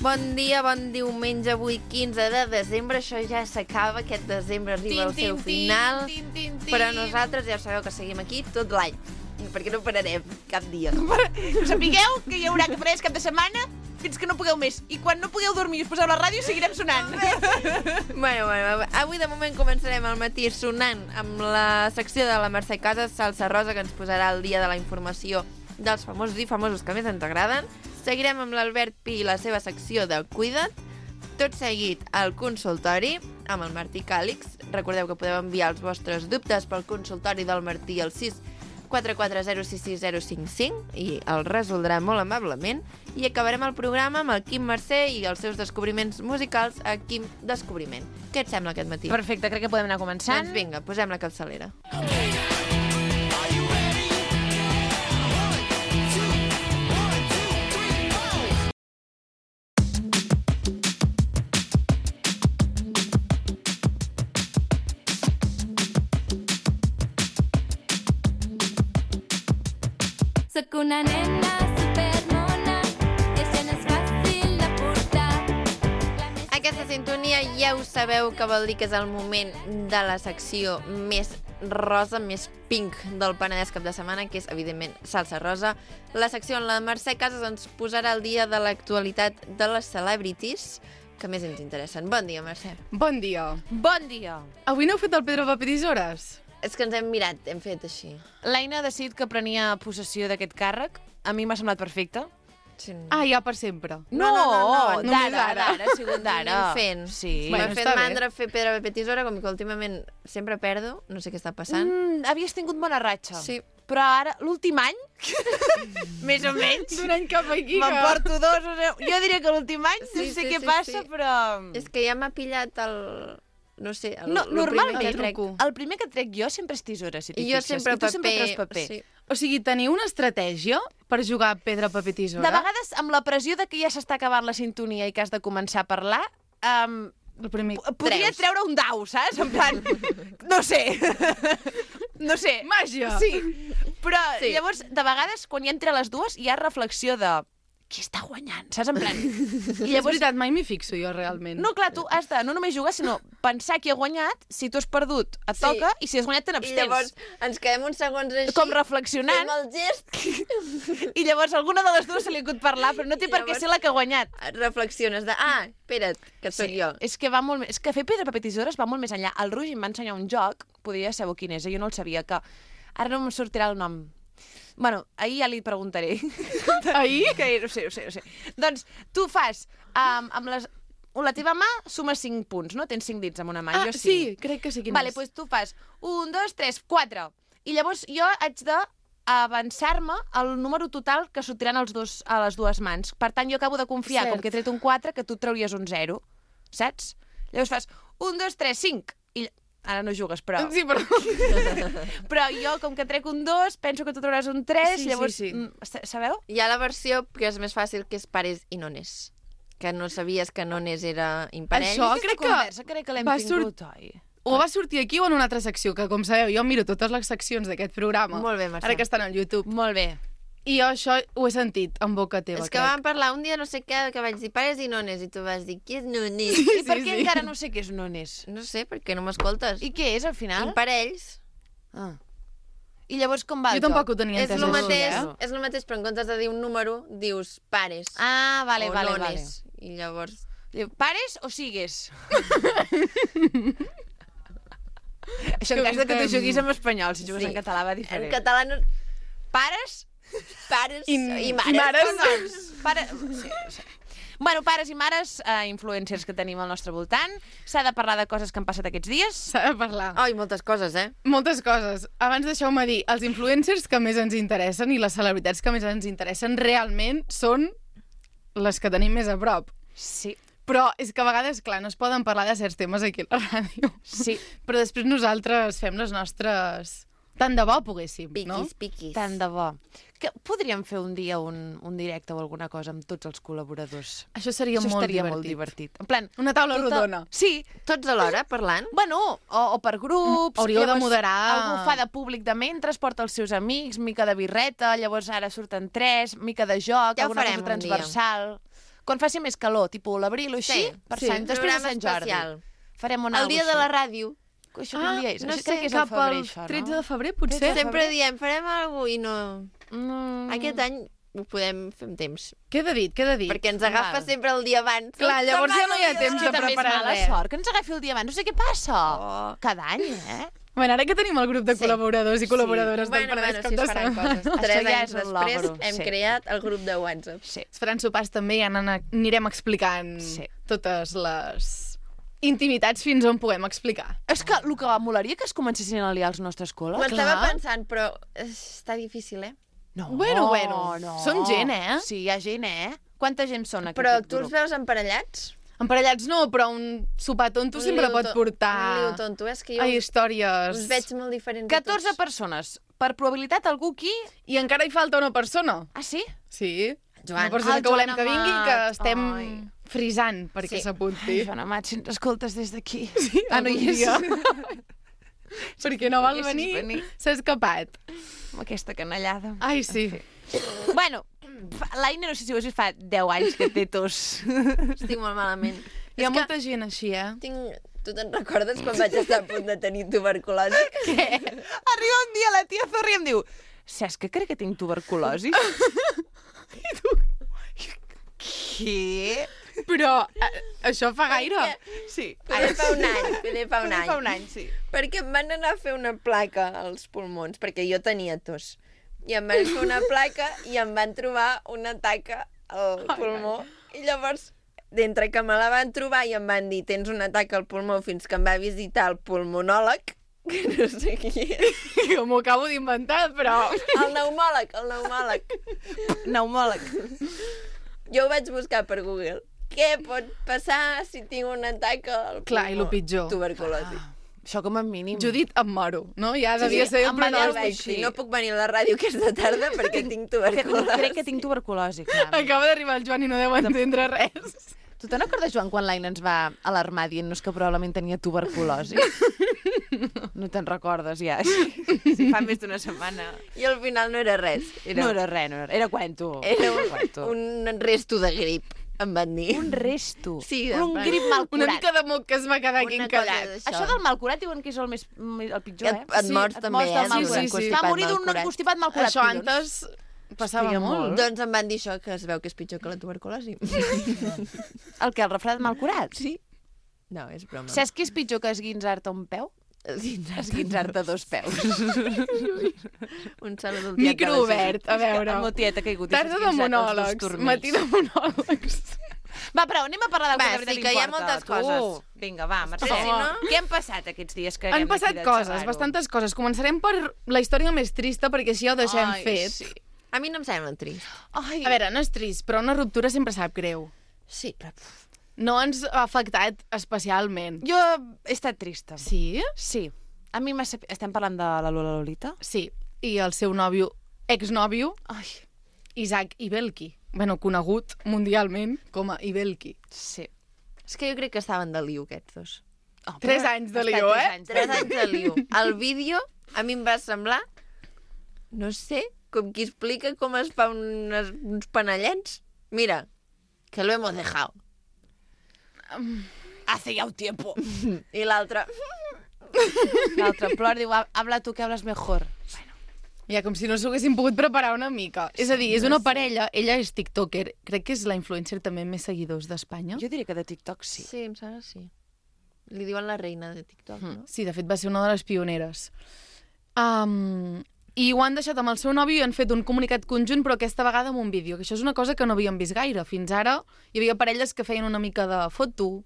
Bon dia, bon diumenge, avui 15 de desembre. Això ja s'acaba, aquest desembre arriba al seu final. Però nosaltres ja sabeu que seguim aquí tot l'any, perquè no pararem cap dia. Sapigueu que hi haurà cabarets cap de setmana fins que no pugueu més. I quan no pugueu dormir i us poseu la ràdio, seguirem sonant. Bueno, avui de moment començarem al matí sonant amb la secció de la Mercè Casas, Salsa Rosa, que ens posarà al dia de la informació dels famosos i famosos que més ens agraden. Seguirem amb l'Albert Pi i la seva secció de Cuida't. Tot seguit al consultori amb el Martí Càlix. Recordeu que podeu enviar els vostres dubtes pel consultori del Martí al 644066055 i el resoldrà molt amablement. I acabarem el programa amb el Quim Mercè i els seus descobriments musicals a Quim Descobriment. Què et sembla aquest matí? Perfecte, crec que podem anar començant. Doncs vinga, posem la capçalera. Soc una nena supermona i això no és fàcil de portar. Aquesta sintonia ja ho sabeu que vol dir que és el moment de la secció més rosa, més pink del Penedès cap de setmana, que és, evidentment, Salsa Rosa. La secció on la Mercè Casas ens posarà al dia de l'actualitat de les celebrities que més ens interessen. Bon dia, Mercè. Bon dia. Bon dia. Avui no heu fet el Pedro Paper Tisores? És que ens hem mirat, hem fet així. L'Aina ha decidit que prenia possessió d'aquest càrrec. A mi m'ha semblat perfecte. Sí. Ah, ja per sempre. No, només d'ara, ha sigut d'ara. Anem fent. Sí. M'ha Bueno, fet està bé. mandra fer pedra, paper, tisora, com que últimament sempre perdo, no sé què està passant. Havies tingut bona ratxa. Sí. Però ara, l'últim any, més o menys, D'un any cap aquí. m'emporto dos. Jo diria que l'últim any, Sí, no sé sí, què sí, passa, sí. però... És que ja m'ha pillat el... No sé, No, el normalment, primer que trec. el primer que trec jo sempre és tisores, si t'hi I jo fixes. sempre I tu sempre treus paper. paper. Sí. O sigui, teniu una estratègia per jugar a pedra, paper, tisora? De vegades, amb la pressió de que ja s'està acabant la sintonia i que has de començar a parlar, El primer... podria Treus. treure un dau, saps? En plan, no sé. No sé. Màgia! Sí. Però Sí. llavors, de vegades, quan hi ha entre les dues, hi ha reflexió de qui està guanyant, saps? En plan... I és veritat, mai m'hi fixo jo, realment. No, clar, tu has de no només jugar, sinó pensar qui ha guanyat, si tu has perdut, et Sí. toca, i si has guanyat, te I n'abstens. llavors ens quedem uns segons així, Com reflexionant, fem el gest, i llavors alguna de les dues se li acut parlar, però no té per què Llavors- ser la que ha guanyat. reflexiones de, espera't, que sóc jo. És que va molt més... És que fer pedra, paper, tisores va molt més enllà. El Roger em va ensenyar un joc, podria saber quin és, jo no el sabia, que ara no em sortirà el nom. Bueno, ahir ja li preguntaré. Ahir? Que ho sé. Doncs tu fas amb les... La teva mà suma 5 punts, no? Tens 5 dits amb una mà, Ah, jo sí, crec que sí quin Vale, és. doncs tu fas 1, 2, 3, 4. I llavors jo haig de avançar-me el número total que sortiran a les dues mans. Per tant, jo acabo de confiar, Cert. com que he tret un 4, que tu trauries un 0. Saps? Llavors fas 1, 2, 3, 5. I ara no jugues, però... Sí, però... Però jo, com que trec un 2, penso que tu trauràs un 3, Sí, llavors... sí. Sabeu? Hi ha la versió que és més fàcil, que és pares i nones. Que no sabies que nones era imparell. Això Aquesta crec que conversa crec que l'hem va tingut, oi? O va sortir aquí o en una altra secció, que com sabeu, jo miro totes les seccions d'aquest programa. Molt bé, Mercè. Ara que estan al YouTube. Molt bé. I jo això ho he sentit en boca teva, És que vam parlar un dia no sé què, que vaig dir pares i nones, i tu vas dir, qui és nones? I per Sí, què sí. encara no sé què és nones? No sé, perquè no m'escoltes. I què és, al final? Imparells. Ah. I llavors com va Jo el tampoc joc? ho tenia És entès. el això, mateix, eh? és el mateix, però en comptes de dir un número, dius pares Ah, vale, o vale. nones. I llavors... Diu, pares o sigues? Això en cas de que tu juguis en espanyol, si jugues Sí. en català va En diferent. català no... Pares? Pares I mares. mares. Sí. Bueno, pares i mares, influencers que tenim al nostre voltant. S'ha de parlar de coses que han passat aquests dies. S'ha de parlar. Ai, moltes coses, eh? Moltes coses. Abans deixeu-me dir, els influencers que més ens interessen i les celebritats que més ens interessen realment són les que tenim més a prop. Sí. Però és que a vegades, clar, no es poden parlar de certs temes aquí a la ràdio. Sí. Però després nosaltres fem les nostres... Tant de bo poguéssim, no? Piquis. Tant de bo. Que podríem fer un dia un directe o alguna cosa amb tots els col·laboradors. Això seria Això molt estaria divertit. molt divertit. En plan, Una taula rodona. Sí. Tots alhora, parlant? Bueno, o per grups. Hauríeu de llavors moderar. Algú fa de públic de mentre, porta els seus amics, mica de birreta, llavors ara surten 3, mica de joc, Ja ho alguna farem cosa un dia. transversal. Quan faci més calor, tipus l'abril o així, per Sant, després de Sant Jordi. especial. Farem un El algo dia de així. la ràdio. Això com dies? no Això sé, crec que és Cap al febrer, al això, no? 13 de febrer, potser? Sempre diem, farem alguna cosa i no... Mm. Aquest any ho podem fer amb temps. Queda dit. Perquè ens agafa Val. sempre el dia abans. Clar, llavors ja no hi ha És temps que de també és preparar mala res. sort, que ens agafi el dia abans. No sé què passa. Oh. Cada any, eh? Bueno, ara que tenim el grup de col·laboradors i col·laboradores del Paradís si Cap es de faran Setmana. coses. 3 Això ja anys és un després logro, hem sí. creat el grup de WhatsApp. Sí. Es faran sopars també i ja anirem explicant totes les intimitats fins on puguem explicar. És que el que molaria que es comencessin a liar als nostres Ho col·les. estava pensant, però està difícil, eh? No, Bueno. no. Són gent, eh? Sí, hi ha gent, eh? Quanta gent són aquí? Però tu els veus emparellats? Emparellats no, però un sopar tonto sempre liu pot Un portar liu tonto, és que jo a històries. us veig molt diferents 14 a tots. persones. Per probabilitat, algú aquí... I encara hi falta una persona. Ah, sí? Sí. Joan. Una persona El que volem Joan que vingui, Amat. que estem Ai. frisant perquè Sí. s'apunti. Ai, Joan Amat, si ens escoltes des d'aquí. Sí, Ah, no hi algun és. dia. Perquè no vol Poguessis venir, s'ha escapat. Amb aquesta canallada. Ai, sí. Bueno, l'Aina, no sé si ho has vist, fa 10 anys que té tos. Estic molt malament. Hi ha És que molta gent així, eh? Tu te'n recordes quan vaig estar a punt de tenir tuberculosi? Arriba un dia la tia Zorri i em diu saps que crec que tinc tuberculosi? I tu... Què? Però això fa gaire. Sí. Poder fa un any, Fa un any, sí. Perquè em van anar a fer una placa als pulmons, perquè jo tenia tos. I em van fer una placa i em van trobar una taca al pulmó. I llavors, d'entre que me la van trobar i em van dir tens una taca al pulmó fins que em va visitar el pulmonòleg, que no sé qui és. Jo m'ho acabo d'inventar, però... El pneumòleg. Pneumòleg. Jo ho vaig buscar per Google. Què pot passar si tinc una taca al pulmó? Clar, i lo pitjor. Tuberculosi. Això com a mínim. Judit, em moro, no? Ja devia ser el em va dir pronòstic. alguna Sí, no puc venir a la ràdio aquesta tarda perquè tinc tuberculosi. Crec que tinc tuberculosi, clar. Acaba d'arribar el Joan i no deu entendre res. Tu te'n recordes, Joan, quan l'Aina ens va alarmar dient-nos que probablement tenia tuberculosi? No te'n recordes, ja. Sí, fa més d'una setmana. I al final no era res. No era res, no era, era cuento. Era cuento. un resto de grip, em van dir. Un resto. Sí, un en grip mal Una curat. mica de moc que es va quedar aquí Una cosa encallat. d'això. Això del mal curat diuen que és el pitjor, eh? Et mors també, mors del eh? mal Sí, curat. sí, sí. Va morir d'un constipat mal curat. Això collons. antes passava Feia molt. molt. Doncs em van dir això, que es veu que és pitjor que la tuberculosi. El que, el refredat mal curat? Sí? No, és broma. Saps què és pitjor que esguinçar-te un peu? Esguinçar-te dos peus. Un salut al Micro obert, a veure. El meu tiet ha caigut. i s'ha Tarda de esguinçat els dos monòlegs, turmells. matí de monòlegs. Va, però anem a parlar del Va, que de veritat sí, que hi ha importa. moltes Tu. coses. Vinga, va, Mercè. Si no- Què han passat aquests dies que Han anem passat aquí de coses, xavar-ho? bastantes coses. Començarem per la història més trista, perquè així ja ho deixem Ai, fet. Sí. A mi no em sembla trist. Ai, A veure, no és trist, però una ruptura sempre sap greu. Sí, però... No ens ha afectat especialment. jo he estat trista. Sí? Sí. A mi estem parlant de la Lola Lolita? Sí. I el seu nòvio, exnòvio, Ai, Isaac Ibelki. Bueno, conegut mundialment com a Ibelki. sí. És que jo crec que estaven de liu, aquests dos. Oh, 3 però anys de ha estat lío, 3 eh? anys. 3 anys de liu. El vídeo a mi em va semblar, no sé, com qui explica com es fa uns panellets. Mira, que lo hemos dejado. Hace ya un tiempo. I l'altre... L'altre plor diu, habla tu que hablas mejor. Ja, com si no s'ho haguessin pogut preparar una mica. És a dir, és una parella, ella és tiktoker, crec que és la influencer també amb més seguidors d'Espanya. Jo diria que de TikTok sí. Sí, em sembla sí. Li diuen la reina de TikTok, no? Sí, de fet va ser una de les pioneres. I ho han deixat amb el seu nòvio i han fet un comunicat conjunt, però aquesta vegada amb un vídeo, que això és una cosa que no havíem vist gaire. Fins ara hi havia parelles que feien una mica de foto,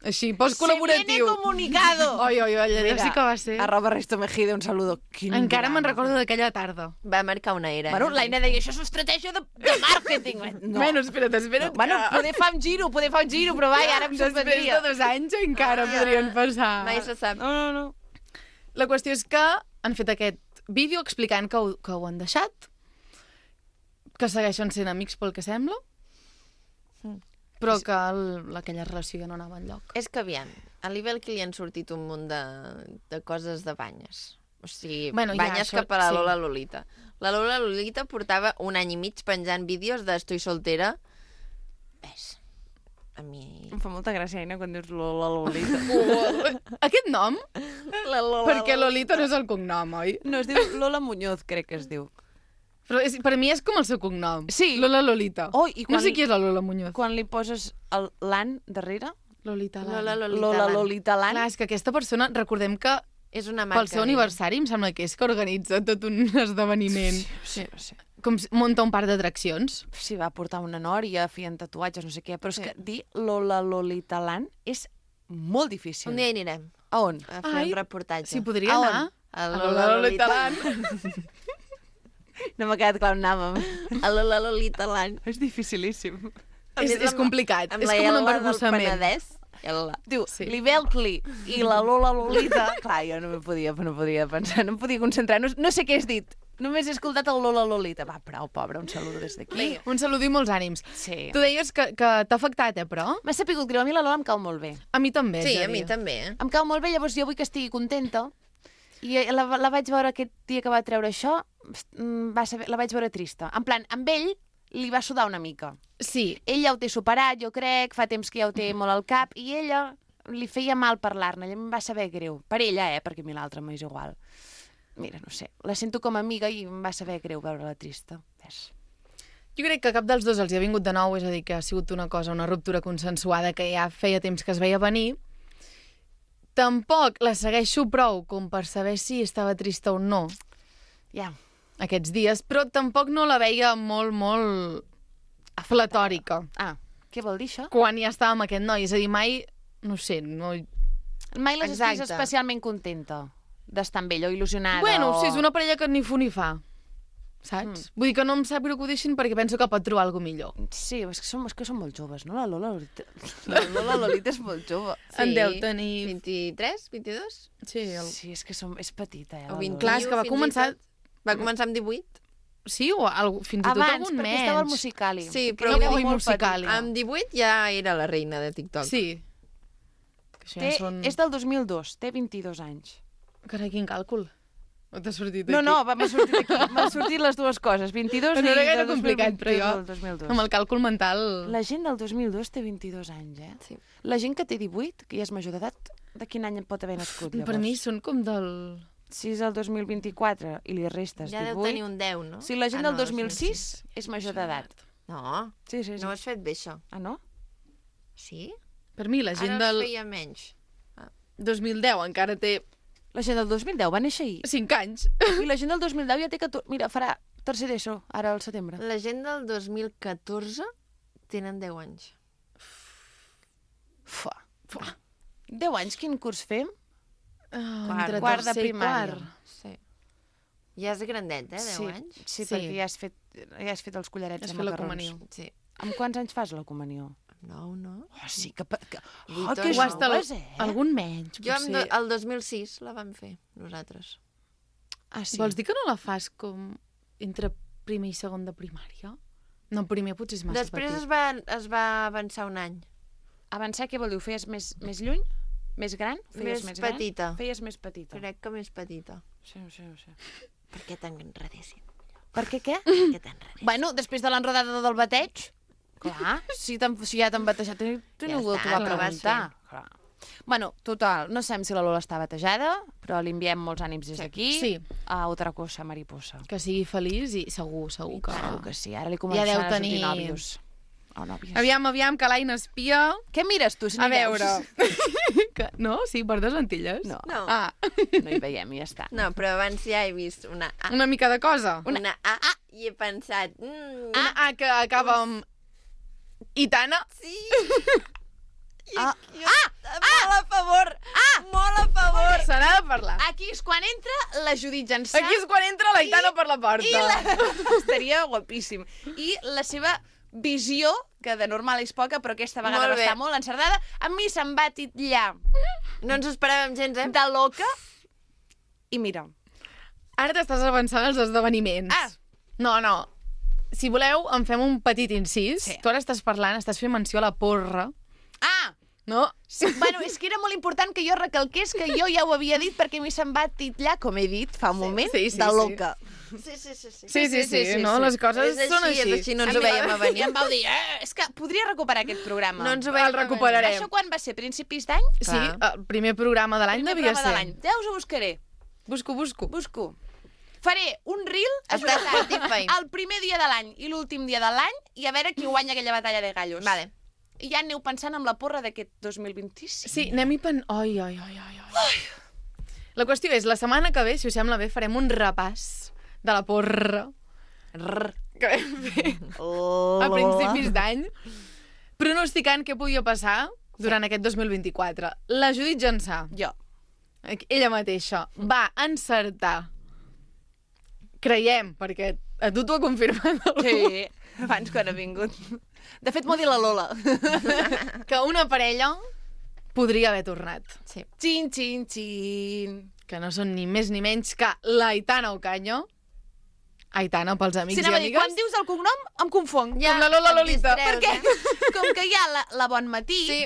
així, post-col·laboratiu. Se viene comunicado. Oi, oi, oi, allò sí que va ser... Arroba Resto Mejide, un saludo. Quin Encara me'n drama. recordo d'aquella tarda. Va marcar una era. Bueno, l'Aina deia, això és estratègia de màrqueting. No. Bueno, espera't, No, bueno, poder fa un giro, però vai, ara em Després sorprendria. de 2 anys encara podrien passar. Mai se sap. No. La qüestió és que han fet aquest vídeo explicant que ho han deixat, que segueixen sent amics pel que sembla, però que aquella relació ja no anava enlloc. És que, aviam, a l'Ibel que li han sortit un munt de coses de banyes. O sigui, Bueno, ja, banyes això, cap a la sí. Lola Lolita. La Lola Lolita portava un any i mig penjant vídeos d'Estoy soltera És... A mi... Em fa molta gràcia, Aina, quan dius Lola Lolita. Aquest nom? La Lola Perquè Lolita no és el cognom, oi? No, es diu Lola Muñoz, crec que es diu. Però per mi és com el seu cognom. Sí. Lola Lolita. Oh, i No sé qui és la Lola Muñoz. Quan li poses l'an darrere, Lolita Lola Lan. Lola Lolita l'an, Clar, és que aquesta persona, recordem que És una marca. pel seu aniversari em sembla que és que organitza tot un esdeveniment. sí. Com munta un parc d'atraccions. Sí, va portar una nòria, feien tatuatges, no sé què, però és que dir Lola Lolita l'an és molt difícil. Un dia hi anirem A on? a fer Ai, un reportatge. Si podria A on? anar A a Lola Lolita Lan. No m'ha quedat clar on anàvem. A la Lolita Land. És dificilíssim. És complicat. Amb És la com un L del embarbussament. Penedès. L. Diu, Sí. l'Ibelcli i la Lola Lolita... Clar, jo no podia pensar, no em podia concentrar. No sé què has dit. Només he escoltat el Lola Lolita. Va, prou, pobra, un saludo des d'aquí. Un salut i molts ànims. Sí. Tu deies que t'ha afectat, però? M'ha sapigut greu. A mi la Lola em cau molt bé. A mi també. Sí, és a mi dir. també. Em cau molt bé, llavors jo vull que estigui contenta. I la vaig veure aquest dia que va treure això, la vaig veure trista. En plan, amb ell li va sudar una mica. Sí. Ell ja ho té superat, jo crec, fa temps que ja ho té molt al cap, i ella li feia mal parlar-ne, em va saber greu. Per ella, perquè a mi l'altra m'és igual. Mira, no sé, la sento com a amiga i em va saber greu veure-la trista. Ves. Jo crec que cap dels dos els hi ha vingut de nou, és a dir, que ha sigut una ruptura consensuada que ja feia temps que es veia venir. Tampoc la segueixo prou com per saber si estava trista o no Ja. aquests dies, però tampoc no la veia molt aflatòrica Ah, què vol dir això? quan ja estava amb aquest noi. És a dir, mai, no sé, no... Mai l'has vist Exacte. especialment contenta d'estar amb ell o il·lusionada. Bueno, o... sí, és una parella que ni fu ni fa, saps? Vull dir que no em sap greu que ho deixin perquè penso que pot trobar alguna millor. Sí, és que són molt joves, no? La Lola Lolita és molt jove. En deu tenir... 23, 22? Sí, Sí, és que és petita, O la 21. Lola. Clar, és que va fins i començar... tot. Va començar amb 18? Sí, o fins i tot Abans, algun perquè menys. estava al Musicali. Sí, Que però era avui molt Musicali. petit. Amb 18 ja era la reina de TikTok. Sí. Que això ja són... És del 2002, té 22 anys. Carai, quin càlcul. No t'ha sortit No, aquí. no, m'ha sortit aquí. M'han sortit les dues coses, 22 No i era gaire del 2020, complicat, però jo, del 2002. amb el càlcul mental... La gent del 2002 té 22 anys, eh? Sí. La gent que té 18, que ja és major d'edat, de quin any pot haver nascut, llavors? Per mi són com del... Si és el 2024 i li restes Ja 18... deu tenir un 10, no? Si la gent Ah, del no, 2006 és major d'edat. No, Sí, sí, sí. no ho has fet bé, això. Ah, no? Sí? Per mi la gent Ara del es feia menys. 2010 encara té La gent del 2010 va néixer ahir. 5 anys. I la gent del 2010 ja té 14... Mira, farà tercer d'ESO, ara al setembre. La gent del 2014 tenen 10 anys. Fua. 10 anys, quin curs fem? Entre quart de tercer i primària. quart. Sí. Ja és grandet, 10 sí, anys? Sí, Sí. perquè ja has fet els collarets Has de fet la macarrons. comunió. Sí. Amb quants anys fas la comunió? 9, no? Oh, sí, que Vuit o que nou. O hasta joves, algun menys, Jo potser. el 2006 la vam fer, nosaltres. Ah, sí. Vols dir que no la fas com entre primer i segon de primària? No, primer potser és massa Després petit. es va avançar un any. Avançar, què vol dir? Ho feies més lluny? Més gran? Ho feies Més gran? petita. Feies més petita. Crec que més petita. Sí, sí, sí. Per què t'enredessin? Per què, què? Per què t'enredessin? Bueno, després de l'enrodada del bateig, clar, si ja t'han batejat, tu Ja ningú està, t'ho va però vas preguntar. Clar. Bueno, total, no sabem si la Lola està batejada, però li enviem molts ànims des d'aquí. Sí. A otra cosa, mariposa. Que sigui feliç i segur que... Segur que sí, ara li Ja començaran deu a sortir tenir- nòvios. O nòvies. Aviam, que l'Aina espia... Què mires tu, si no A hi veus? veure... que... No? Sí, per 2 lentilles? No. No. Ah, No hi veiem i ja està. No, però abans ja he vist una A. una mica de cosa. Una A i he pensat... Una A que acaba amb... Itana? Sí! Ah, Molt a favor! Molt a favor! Se n'ha de parlar. Aquí és quan entra la Judit Jansà. Aquí és quan entra la Itana per la porta. Estaria guapíssim. I la seva visió, que de normal és poca, però aquesta vegada Molt va bé. estar molt encertada, a mi se'm va titllar No ens ho esperàvem gens, eh? de loca. I mira, Ara t'estàs avançant als esdeveniments. Ah. No. Si voleu, en fem un petit incís. Sí. Tu ara estàs parlant, estàs fent menció a la porra, no? sí, bueno, és que era molt important que jo recalqués que jo ja ho havia dit perquè a mi se'm va titllar, com he dit fa un moment, Sí, de loca. Sí, no? Les coses són així. És així, no ens ho veiem a venir. I em vau dir, és que podria recuperar aquest programa. No ens ho veiem El recuperarem. Això quan va ser? Principis d'any? Sí, el primer programa de l'any Primer devia programa de ser. l'any. Ja us ho buscaré. Busco. Faré un reel Està Spotify. el primer dia de l'any i l'últim dia de l'any i a veure qui guanya aquella batalla de gallos. Vale. I ja aneu pensant en la porra d'aquest 2025. Sí, anem-hi Ai. La qüestió és, la setmana que ve, si us sembla bé, farem un repàs de la porra que vam fer a principis d'any, pronosticant què podia passar durant aquest 2024. La Judit Jansà, Jo. ella mateixa, va encertar, creiem, perquè a tu t'ho ha confirmat algú, Sí, abans quan ha vingut. De fet, m'ho ha dit la Lola. que una parella podria haver tornat. Sí. Xin, xin, xin. Que no són ni més ni menys que l'Aitana Ocaño. Aitana, pels amics Si i anava a dir, amigues. quan dius el cognom, em confong. Com la Lola et Lolita. distreus, Perquè, com que hi ha la Bon Matí, Sí.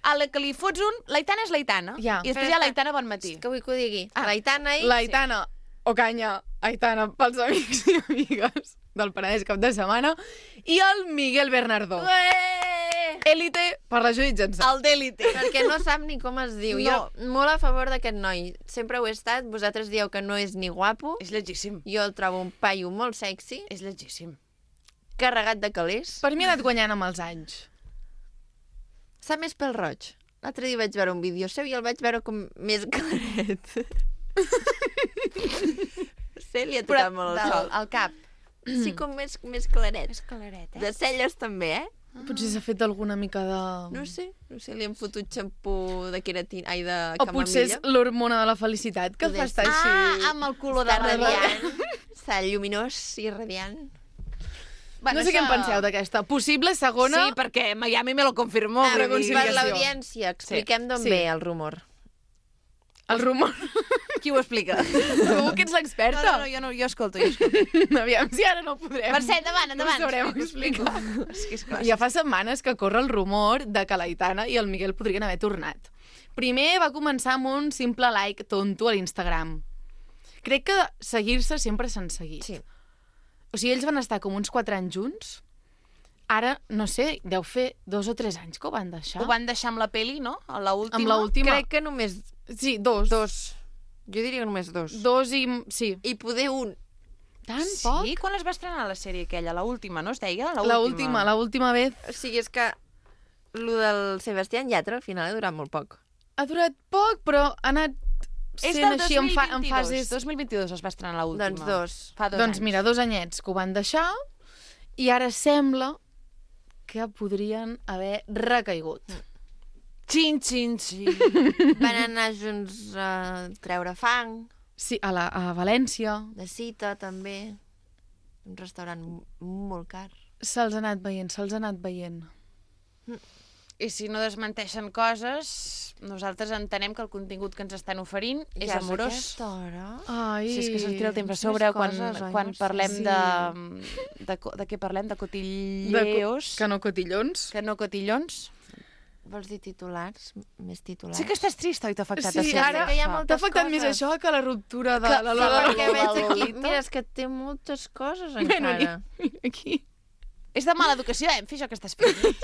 a la que li fots un, l'Aitana és l'Aitana. Ja. I després hi ha l'Aitana Bon Matí. Que vull que ho digui. L'Aitana i... L'Aitana Ocaña, Aitana, pels amics i amigues del Penedès cap de setmana, i el Miguel Bernardó. Élite per la Judit Jansà. El d'Élite. Perquè no sap ni com es diu. No. Jo molt a favor d'aquest noi. Sempre ho he estat. Vosaltres dieu que no és ni guapo. És llegíssim. Jo el trobo un paio molt sexy, És llegíssim. carregat de calés. Per mi ha anat guanyant amb els anys. Sap més pel roig. L'altre dia vaig veure un vídeo seu i el vaig veure com més claret. Sí, li ha tocat molt el sol. Al cap. Sí, com més claret. És claret, De celles també, eh? Potser s'ha fet alguna mica de... No sé, li han fotut xampú de queratina, ai, de O potser és camamilla. l'hormona de la felicitat que el fa Poder estar així... amb el color de Està radiant. radiant, està lluminós i radiant. No sé què en penseu d'aquesta. Possible segona... Sí, perquè Miami me lo confirmó. Per reconciliació. l'audiència, expliquem d'on Sí. ve el rumor. El rumor. Qui ho explica? Tu que ets l'experta. No, jo escolto. Aviam, si ara no podrem. Mercè, endavant. No ho sabrem explicar. És que és clar. Ja fa setmanes que corre el rumor de que l'Aitana i el Miguel podrien haver tornat. Primer va començar amb un simple like tonto a l'Instagram. Crec que seguir-se sempre s'han seguit. Sí. O sigui, ells van estar com uns 4 anys junts. Ara, no sé, deu fer 2 o 3 anys que ho van deixar. Ho van deixar amb la peli, no? A l'última. Amb l'última. Crec que només Sí, 2. 2. Jo diria que només 2. 2 i... Sí. I poder un. Tan poc? Sí? Quan es va estrenar la sèrie aquella? L'última, no es deia? L'última vez. O sigui, és que lo del Sebastián Yatra al final ha durat molt poc. Ha durat poc, però ha anat És sent del així 2022. en fases... 2022 es va estrenar l'última. Doncs 2. Fa 2 Doncs anys. mira, 2 anyets que ho van deixar i ara sembla que podrien haver recaigut. Xin, xin, xin. Van anar junts a treure fang, Sí, a València de cita també. Un restaurant molt car. se'ls ha anat veient. I si no desmenteixen coses, nosaltres entenem que el contingut que ens estan oferint és Ja amorós. És aquesta hora? Ai, Si és que se'ns tira el temps a més sobre coses, oi? quan No sé. parlem Sí. de què parlem? De cotilleos? Que no cotillons. Que no cotillons? Vols dir titulars? Més titulars? Sí que estàs trist, oi? T'ha afectat Sí, a ser ara que hi ha això? moltes t'ha afectat coses. més això que la ruptura de Que- la sí, Lola. Perquè veig aquí... Lolita. Mira, és que té moltes coses Bueno, encara. aquí. És de mala educació, fer això que estàs fent.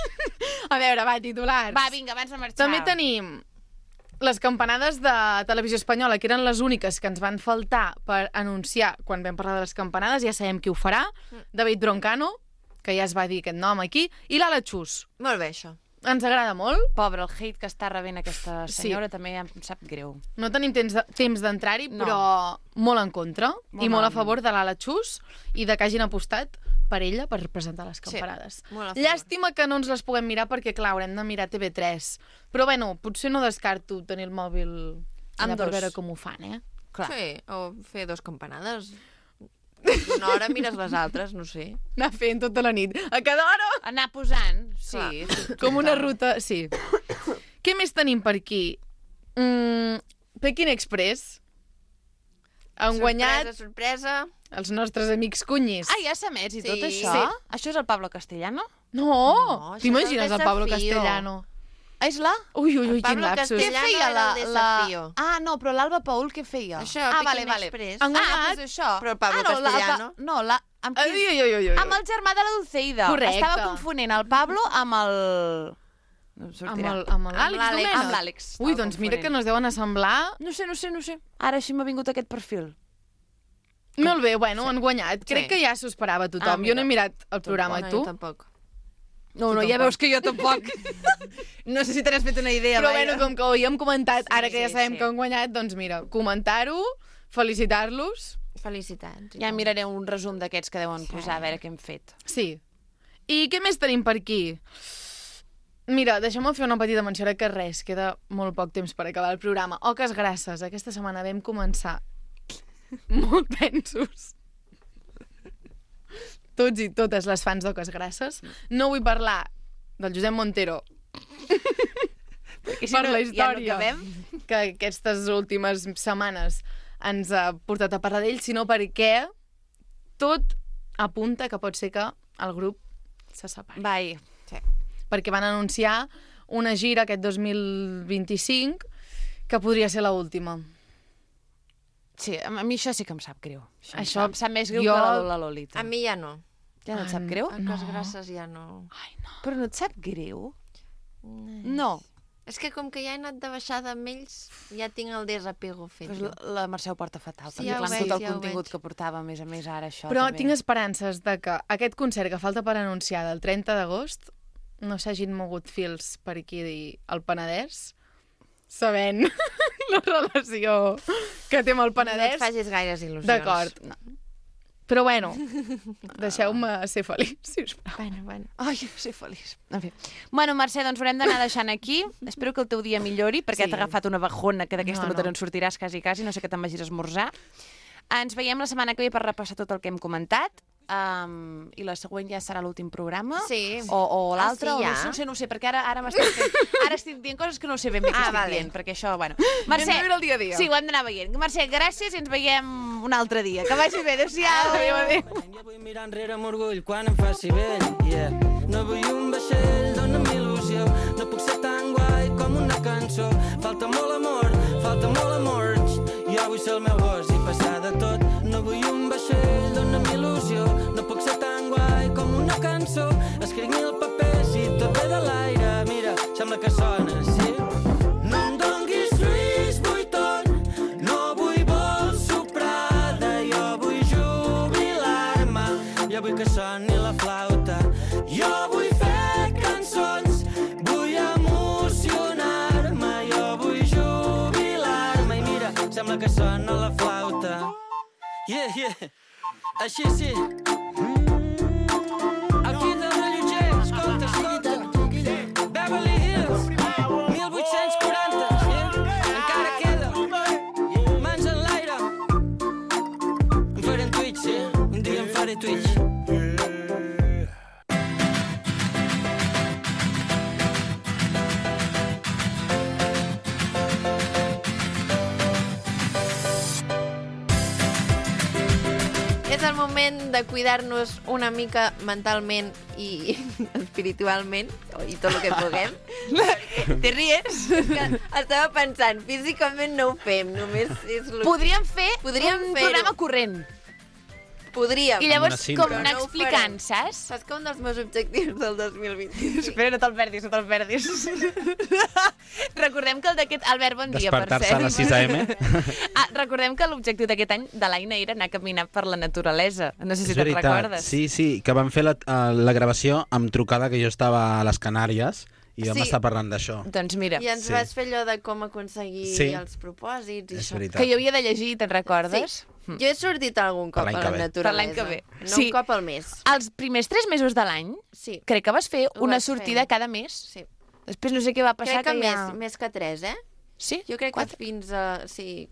A veure, va, titulars. Va, vinga, abans de marxar. També tenim les campanades de Televisió Espanyola, que eren les úniques que ens van faltar per anunciar quan vam parlar de les campanades. Ja sabem qui ho farà. David Broncano, que ja es va dir aquest nom aquí, i l'Ala Chus. Molt bé, això. Ens agrada molt. Pobre, el hate que està rebent aquesta Sí. senyora també em sap greu. No tenim temps d'entrar-hi, No. però molt en contra Molt i molt a malament. favor de l'Ala Chus i de que hagin apostat per ella per presentar les campanades. molt a favor. Llàstima que no ens les puguem mirar perquè, clar, haurem de mirar TV3. Però, bueno, potser no descarto tenir el mòbil allà per dos. veure com ho fan, eh? Clar. Sí, o fer 2 campanades. Una hora mires les altres, no sé. Anar fent tota la nit. A cada hora, Anar posant, sí. Clar. com una ruta... Sí. Què més tenim per aquí? Peking Express. Han guanyat Sorpresa. els nostres amics cunyis. Ah, ja s'ha emès i tot Sí. això? Sí. Això és el Pablo Castellano? No! No, això T'imagines és el el Pablo Desafío. Castellano? És la? Ui, quin Pablo lapsus. Què Castellano feia era el Desafío. No, però l'Alba Paul què feia? Això, vale. Express. Doncs això. Però el Pablo Castellano. Amb qui? Amb el germà de la Dulceida. Correcte. Estava confonent el Pablo amb el... No em sortirà. Amb l'Àlex Domènech. Amb l'Àlex. Ui, doncs mira que no es deuen assemblar. No sé. Ara així m'ha vingut aquest perfil. Molt bé, bueno, han guanyat. Crec que ja s'ho esperava tothom. Jo no he mirat el programa, tu? Jo tampoc. No, ja veus que jo tampoc. No sé si te n'has fet una idea. Però bueno, com que ho havíem comentat, ara que ja sabem sí. que han guanyat, doncs mira, comentar-ho, felicitar-los. Felicitats. Ja miraré un resum d'aquests que deuen posar a veure què hem fet. Sí. I què més tenim per aquí? Mira, deixa'm fer una petita menció, ara que res, queda molt poc temps per acabar el programa. Oques grasses, aquesta setmana vam començar molt tensos. Tots i totes les fans d'Oques grasses. No vull parlar del Josep Montero per la història que aquestes últimes setmanes ens ha portat a parlar d'ell, sinó perquè tot apunta que pot ser que el grup se separi. Vai. Perquè van anunciar una gira aquest 2025 que podria ser l'última. Sí, a mi això sí que em sap greu. Això em sap més greu jo- que la Lolita. A mi ja no. Ja no et sap greu? Cos grasses ja no. Ai, no. Però no et sap greu? No. És que com que ja he anat de baixada amb ells, ja tinc el desapego fet. Pues la Mercè ho porta fatal, Sí, perquè ja ho clar, veig, tot el ja ho contingut veig. que portava, a més ara això Però també. tinc esperances de que aquest concert que falta per anunciar del 30 d'agost no s'hagin mogut fils per aquí al Penedès, sabent la relació que té amb el No Penedès. et facis gaires il·lusions. D'acord. No. Però bueno, deixeu-me ser feliç, sisplau. Bueno. Ai, ser feliç. En fi. Bueno, Mercè, doncs haurem d'anar deixant aquí. Espero que el teu dia millori, perquè Sí. t'ha agafat una bajona que d'aquesta No, no te'n no. sortiràs quasi, no sé que te'n vagis a esmorzar. Ens veiem la setmana que ve per repassar tot el que hem comentat. I la següent ja serà l'últim programa? Sí. O l'altre? sí, ja? No ho sé, perquè ara m'estic fent... Ara estic dient coses que no sé ben bé què estic vale. dient, perquè això, bueno... Hem de viure el dia a dia. Sí, ho hem d'anar veient. Mercè, gràcies i ens veiem un altre dia. Que vagi bé, adéu-siau. Adéu. Jo vull mirar enrere amb orgull quan em faci vell, yeah. No vull un vaixell, dona'm il·lusió. No puc ser tan guai com una cançó. Falta molt amor. Jo vull ser el meu gos i passar de tot. No vull un vaixell, dona'm il·lusió. No puc ser tan guai com una cançó. Escric 1000 papers i tot ve de l'aire. Mira, sembla que sona, sí? No em donguis Lluís Vuitton, no vull vol soprada. Jo vull jubilar-me, jo vull que soni la flauta. Jo vull fer cançons, vull emocionar-me. Jo vull jubilar-me i mira, sembla que sona la flauta. Yeah, així sí. Aquí de rellotger, escolta. Beverly Hills, 1840, encara queda. Mans en l'aire. Em faré en Twitch, sí? Un dia em faré Twitch. És el moment de cuidar-nos una mica mentalment i espiritualment, i tot el que puguem. Te ries? Que estava pensant, físicament no ho fem, només és... Podríem fer Podríem un fer-ho. programa corrent. Podríem. I llavors, una cinta. com anar Però no ho explicant, farem. saps? Saps que un dels meus objectius del 2020... Espera, no te'l perdis. Recordem que el d'aquest... Albert, bon dia, per Despertar-se cert. a les 6 AM. Recordem que l'objectiu d'aquest any de l'Aina era anar a caminar per la naturalesa. No sé si És te'n veritat. recordes. Sí, que vam fer la gravació amb trucada que jo estava a les Canàries i vam Sí. estar parlant d'això. Doncs mira, I ens Sí. vas fer allò de com aconseguir Sí. els propòsits i És això. veritat. que jo havia de llegir, te'n recordes? Jo he sortit algun cop Per l'any a que la ve. naturalesa. Per l'any que ve. No Sí. un cop al mes. Els primers 3 mesos de l'any, Sí. crec que vas fer Ho una vaig sortida fer. cada mes. Sí. Després no sé què va passar. Crec que ja... més que 3, eh? Sí? Jo crec que fins a... Sí.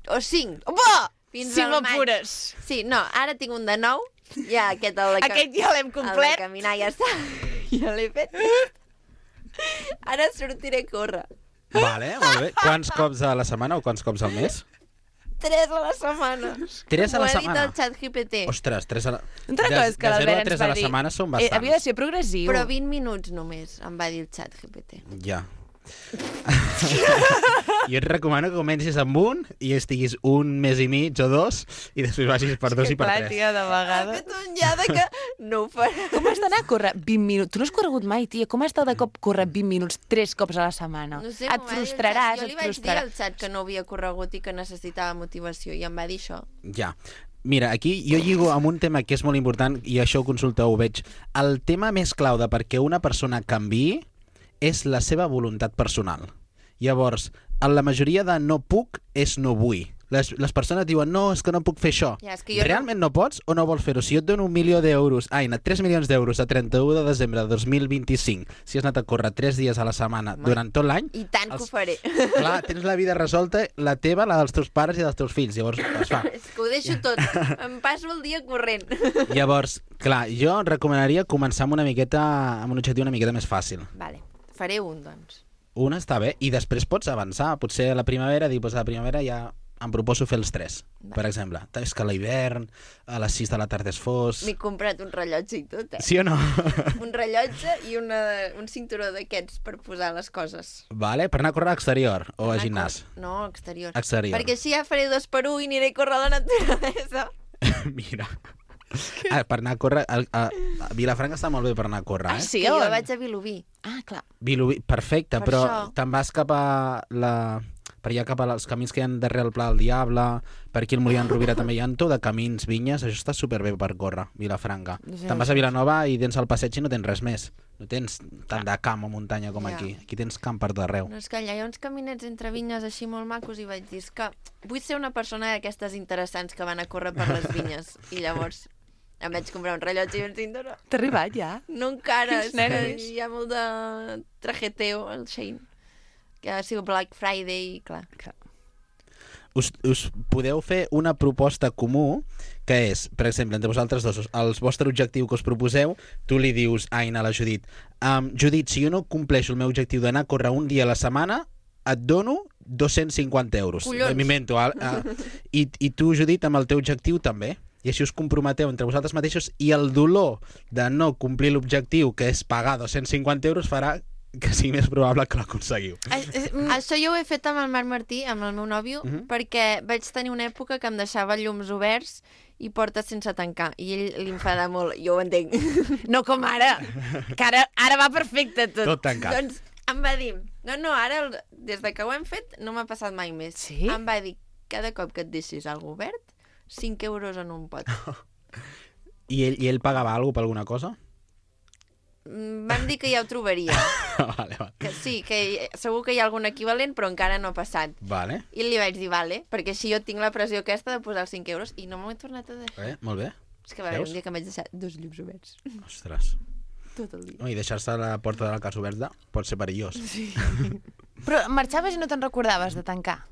O 5. Va! Fins Si al maig. m'apures. Sí, no, ara tinc un de 9. Ja, aquest, Aquest ja l'hem El de complet. caminar ja està. Ja l'he fet. Ara sortiré a córrer. Vale, molt bé. Quants cops a la setmana o quants cops al mes? 3 a la setmana. 3 a la M'ho ha dit setmana? el ChatGPT. Ostres, 3 a la... Una cosa és que de 0 a l'Albert 3 ens a va la dir... setmana són bastants. Havia de ser progressiu. Però 20 minuts només, em va dir el ChatGPT. Ja. Jo et recomano que comencis amb un i estiguis un mes i mig o 2 i després vagis per 2 i per 3. tia, de Ha vegades. fet un ja de que no ho farà. Com has d'anar a córrer 20 minuts? Tu no has corregut mai, tia. Com has de cop córrer 20 minuts 3 cops a la setmana? No sé, et m'ho va dir el frustraràs, xat. Jo li et vaig dir frustraràs. al xat que no havia corregut i que necessitava motivació i em va dir això. Ja. Mira, aquí jo lligo amb un tema que és molt important i això ho consulteu, ho veig. El tema més clau de perquè una persona canviï és la seva voluntat personal. Llavors, en la majoria de no puc és no vull. Les persones diuen, no, és que no puc fer això. Ja, és que jo Realment no pots o no vols fer-ho? Si jo et dono 1 milió d'euros, 3 milions d'euros a 31 de desembre de 2025, si has anat a córrer 3 dies a la setmana durant tot l'any, I tant que ho faré. clar, tens la vida resolta, la teva, la dels teus pares i dels teus fills. Llavors, es fa. És que ho deixo tot. Em passo el dia corrent. Llavors, clar, jo recomanaria començar amb una miqueta, amb un objectiu una miqueta més fàcil. Vale, faré un, doncs. Un està bé, i després pots avançar. Potser a la primavera, dir, doncs a la primavera ja em proposo fer els 3, per exemple. És que a l'hivern, a les 6 de la tarda és fos... M'he comprat un rellotge i tot, Sí o no? Un rellotge i un cinturó d'aquests per posar les coses. Vale, per anar a córrer a exterior o a Anar gimnàs. No, exterior. Exterior. Perquè així ja faré 2 per 1 i aniré a córrer a la naturalesa. Mira. Per anar a córrer... A Vilafranca està molt bé per anar a córrer, eh? Sí, Que jo on? vaig a Vilobí. Ah, clar. Vilobí, perfecte, Per però això. te'n vas cap a per allà cap als camins que hi ha darrere el Pla del Diable, per aquí el Molí d'en Rovira també hi ha tot de camins, vinyes, això està superbé per córrer, Vilafranca. Te'n vas a Vilanova i tens el passeig i no tens res més. No tens tant de camp o muntanya com Ja. aquí. Aquí tens camp per tot arreu. No, és que allà hi ha uns caminets entre vinyes així molt macos i vaig dir, és que vull ser una persona d'aquestes interessants que van a córrer per les vinyes. I llavors em vaig comprar un rellotge i un cinturó. T'ha arribat, ja? No encara, és Quins que nervis. hi ha molt de trajeteo al Shein. Que ha sigut Black Friday i clar. Us podeu fer una proposta comú, que és, per exemple, entre vosaltres dos, el vostre objectiu que us proposeu, tu li dius a la Judit, Judit, si jo no compleixo el meu objectiu d'anar a córrer un dia a la setmana, et dono 250 euros. Collons. M'invento. I tu, Judit, amb el teu objectiu també. I així us comprometeu entre vosaltres mateixos i el dolor de no complir l'objectiu, que és pagar 250 euros, farà que sigui més probable que l'aconseguiu. Això jo ho he fet amb el Marc Martí, amb el meu nòvio, perquè vaig tenir una època que em deixava llums oberts i portes sense tancar. I ell li enfada molt, jo ho entenc. No com ara, que ara va perfecte tot. Tot tancat. Doncs em va dir, no, ara, des de que ho hem fet, no m'ha passat mai més. Sí? Em va dir, cada cop que et deixis algo obert, 5 euros en un pot. I ell pagava alguna per alguna cosa? Vam dir que ja ho trobaria. Vale. Que sí, que segur que hi ha algun equivalent, però encara no ha passat. Vale. I li vaig dir, vale, perquè així jo tinc la pressió aquesta de posar els 5 euros i no m'ho he tornat a deixar. Molt bé. És que va haver Veus? un dia que em vaig deixar 2 llums oberts. Ostres. Tot el dia. No, i deixar-se la porta de la casa oberta pot ser perillós. Sí. Però marxaves i no te'n recordaves de tancar?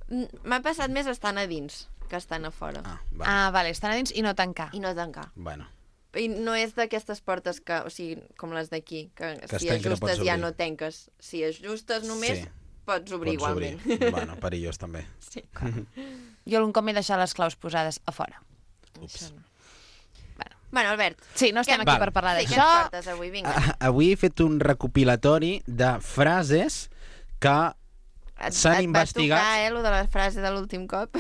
M'ha passat més estant a dins que estant a fora. Vale. Ah, vale, estan a dins i no tancar. I no tancar. Bueno. I no és d'aquestes portes que, o sigui, com les d'aquí, que Que si es tanquen, no ajustes pots ja obrir. no tanques. Si ajustes només, Sí. pots obrir igualment. Bueno, perillós també. Sí. Jo algun cop m'he deixat les claus posades a fora. Això no. Bueno, Albert, Sí, no estem Què- aquí Val. per parlar sí, què ens d'això. portes avui? Vinga. Avui he fet un recopilatori de frases que s'han investigat... Et va tocar, lo de la frase de l'últim cop.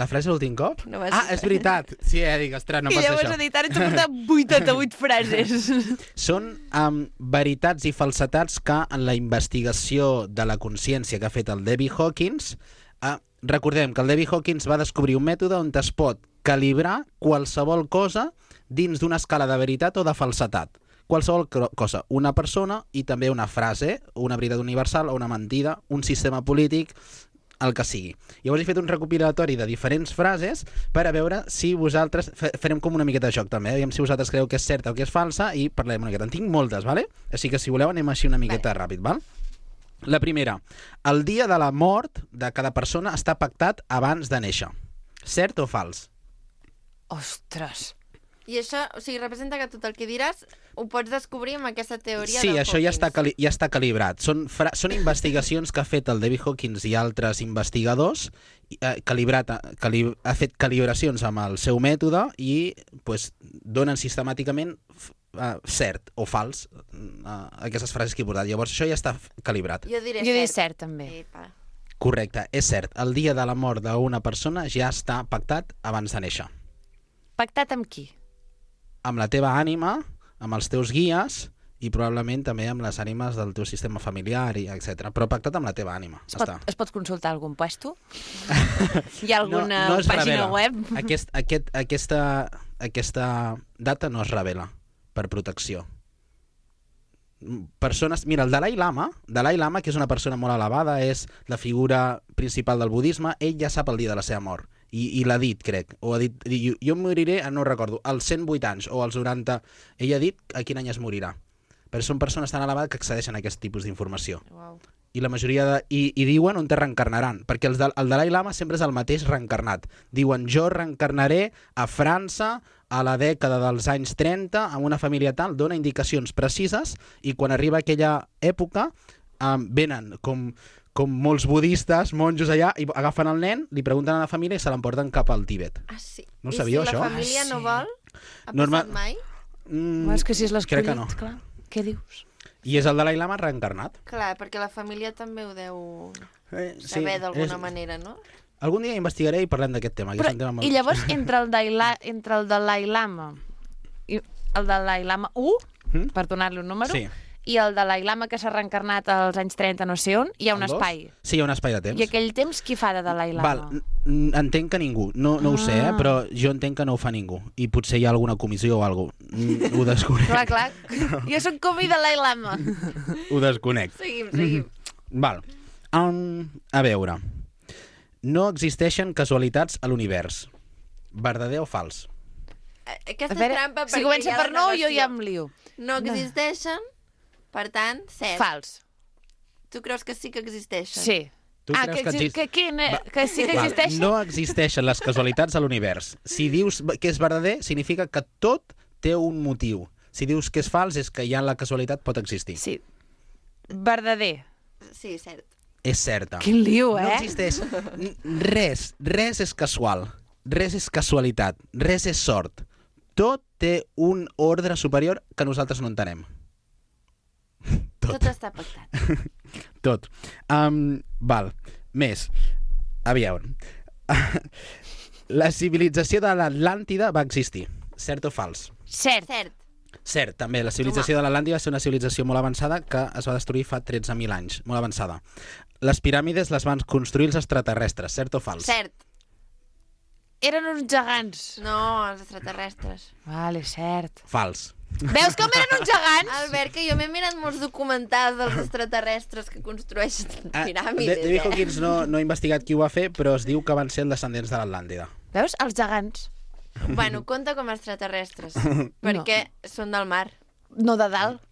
La frase l'últim cop? No vas És veritat. Sí, dic, ostres, no I passa llavors això. he dit, ara ets a portar 88 frases. Són veritats i falsetats que en la investigació de la consciència que ha fet el David Hawkins, recordem que el David Hawkins va descobrir un mètode on es pot calibrar qualsevol cosa dins d'una escala de veritat o de falsetat. Qualsevol cosa, una persona i també una frase, una veritat universal o una mentida, un sistema polític, el que sigui. Llavors he fet un recopilatori de diferents frases per a veure si vosaltres... Farem com una miqueta de joc també, aviam si vosaltres creu que és certa o que és falsa i parlem una miqueta. En tinc moltes, vale? Així que si voleu anem així una miqueta ràpid, val? La primera, el dia de la mort de cada persona està pactat abans de néixer. Cert o fals? Ostres. I això, o sigui, representa que tot el que diràs ho pots descobrir amb aquesta teoria Sí, de això ja Hawkins. ja està calibrat. Són investigacions que ha fet el David Hawkins i altres investigadors, ha fet calibracions amb el seu mètode i pues, donen sistemàticament cert o fals aquestes frases que he portat. Llavors això ja està calibrat. Jo diré Jo diré cert, també. Epa. Correcte, és cert. El dia de la mort d'una persona ja està pactat abans de néixer. Pactat amb qui? Amb la teva ànima, amb els teus guies i probablement també amb les ànimes del teu sistema familiar, i etc. Però pactat amb la teva ànima. Es pot consultar algun puesto? Hi ha alguna no es pàgina revela. web? Aquesta data no es revela per protecció. Mira, el Dalai Lama, que és una persona molt elevada, és la figura principal del budisme, ell ja sap el dia de la seva mort. I l'ha dit, crec. O ha dit, jo em moriré, no recordo, als 108 anys o als 90. Ell ha dit a quin any es morirà. Però són persones tan elevades que accedeixen a aquest tipus d'informació. Uau. I la majoria i diuen on te reencarnaran, perquè el Dalai Lama sempre és el mateix reencarnat. Diuen, jo reencarnaré a França a la dècada dels anys 30 amb una família tal, dona indicacions precises i quan arriba aquella època venen com molts budistes, monjos allà, i agafen el nen, li pregunten a la família i se l'emporten cap al Tíbet. Ah, sí. No ho sabíeu, I si això? la família no vol? Ha Norma- passat mai? És que si és crec que l'escollit, no. clar. Què dius? I és el Dalai Lama reencarnat. Clar, perquè la família també ho deu Sí, saber d'alguna manera, no? Algun dia investigaré i parlem d'aquest tema. Que és un tema molt... I llavors, entre el Dalai Lama i el Dalai Lama 1, per donar-li un número, Sí. i el Dalai Lama que s'ha reencarnat als anys 30 no sé on, hi ha un El dos? espai. Sí, hi ha un espai de temps. I aquell temps qui fa de Dalai Lama? Val, entenc que ningú, no ho sé, però jo entenc que no ho fa ningú i potser hi ha alguna comissió o alguna cosa, ho desconec. Clar. Jo sóc com i Dalai Lama. Ho desconec. Seguim. Val. A veure, no existeixen casualitats a l'univers. Verdader o fals? Aquesta A veure, és trampa si perquè comença hi ha per la no, jo negació. ja em lio. No existeixen, per tant, cert. Fals. Tu creus que sí que existeixen? Sí. Tu creus que exist- que sí que Val, existeix? no existeixen les casualitats a l'univers. Si dius que és verdader, significa que tot té un motiu. Si dius que és fals, és que ja la casualitat pot existir. Sí. Verdader. Sí, cert. És certa. Quin liu, No eh? existeix res és casual, res és casualitat, res és sort. Tot té un ordre superior que nosaltres no entenem. Tot està pactat. Tot. Val. Més. Aviam. La civilització de l'Atlàntida va existir. Cert o fals? Cert. Cert. Cert, també. La civilització de l'Atlàntida va ser una civilització molt avançada que es va destruir fa 13.000 anys. Molt avançada. Les piràmides les van construir els extraterrestres. Cert o fals? Cert. Eren uns gegants. No, els extraterrestres. Vale, cert. Fals. Veus com eren uns gegants? Albert, que jo m'he mirat molts documentals dels extraterrestres que construeixen piràmides, David Hawkins no ha investigat qui ho va fer, però es diu que van ser els descendents de l'Atlàntida. Veus? Els gegants. Bueno, compta com a extraterrestres, perquè són del mar. No de dalt.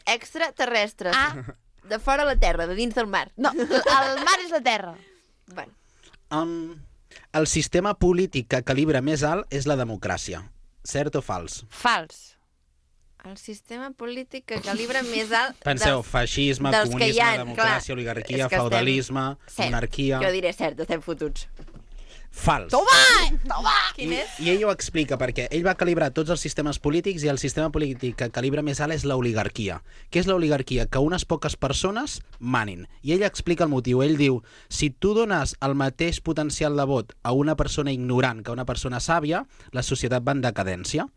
Extraterrestres. Ah. De fora la terra, de dins del mar. No, el mar és la terra. Bueno, El sistema polític que calibra més alt és la democràcia. Cert o fals? Fals. el sistema polític que calibra més alt... Penseu, feixisme, dels que hi comunisme, ha, democràcia, clar. oligarquia, És que feudalisme, Cert. monarquia... Jo diré cert, estem fotuts. Fals. Toma! Quin és? I ell ho explica perquè ell va calibrar tots els sistemes polítics i el sistema polític que calibra més alt és l'oligarquia. Què és l'oligarquia? Que unes poques persones manin. I ell explica el motiu. Ell diu, si tu dones el mateix potencial de vot a una persona ignorant que a una persona sàvia, la societat va en decadència.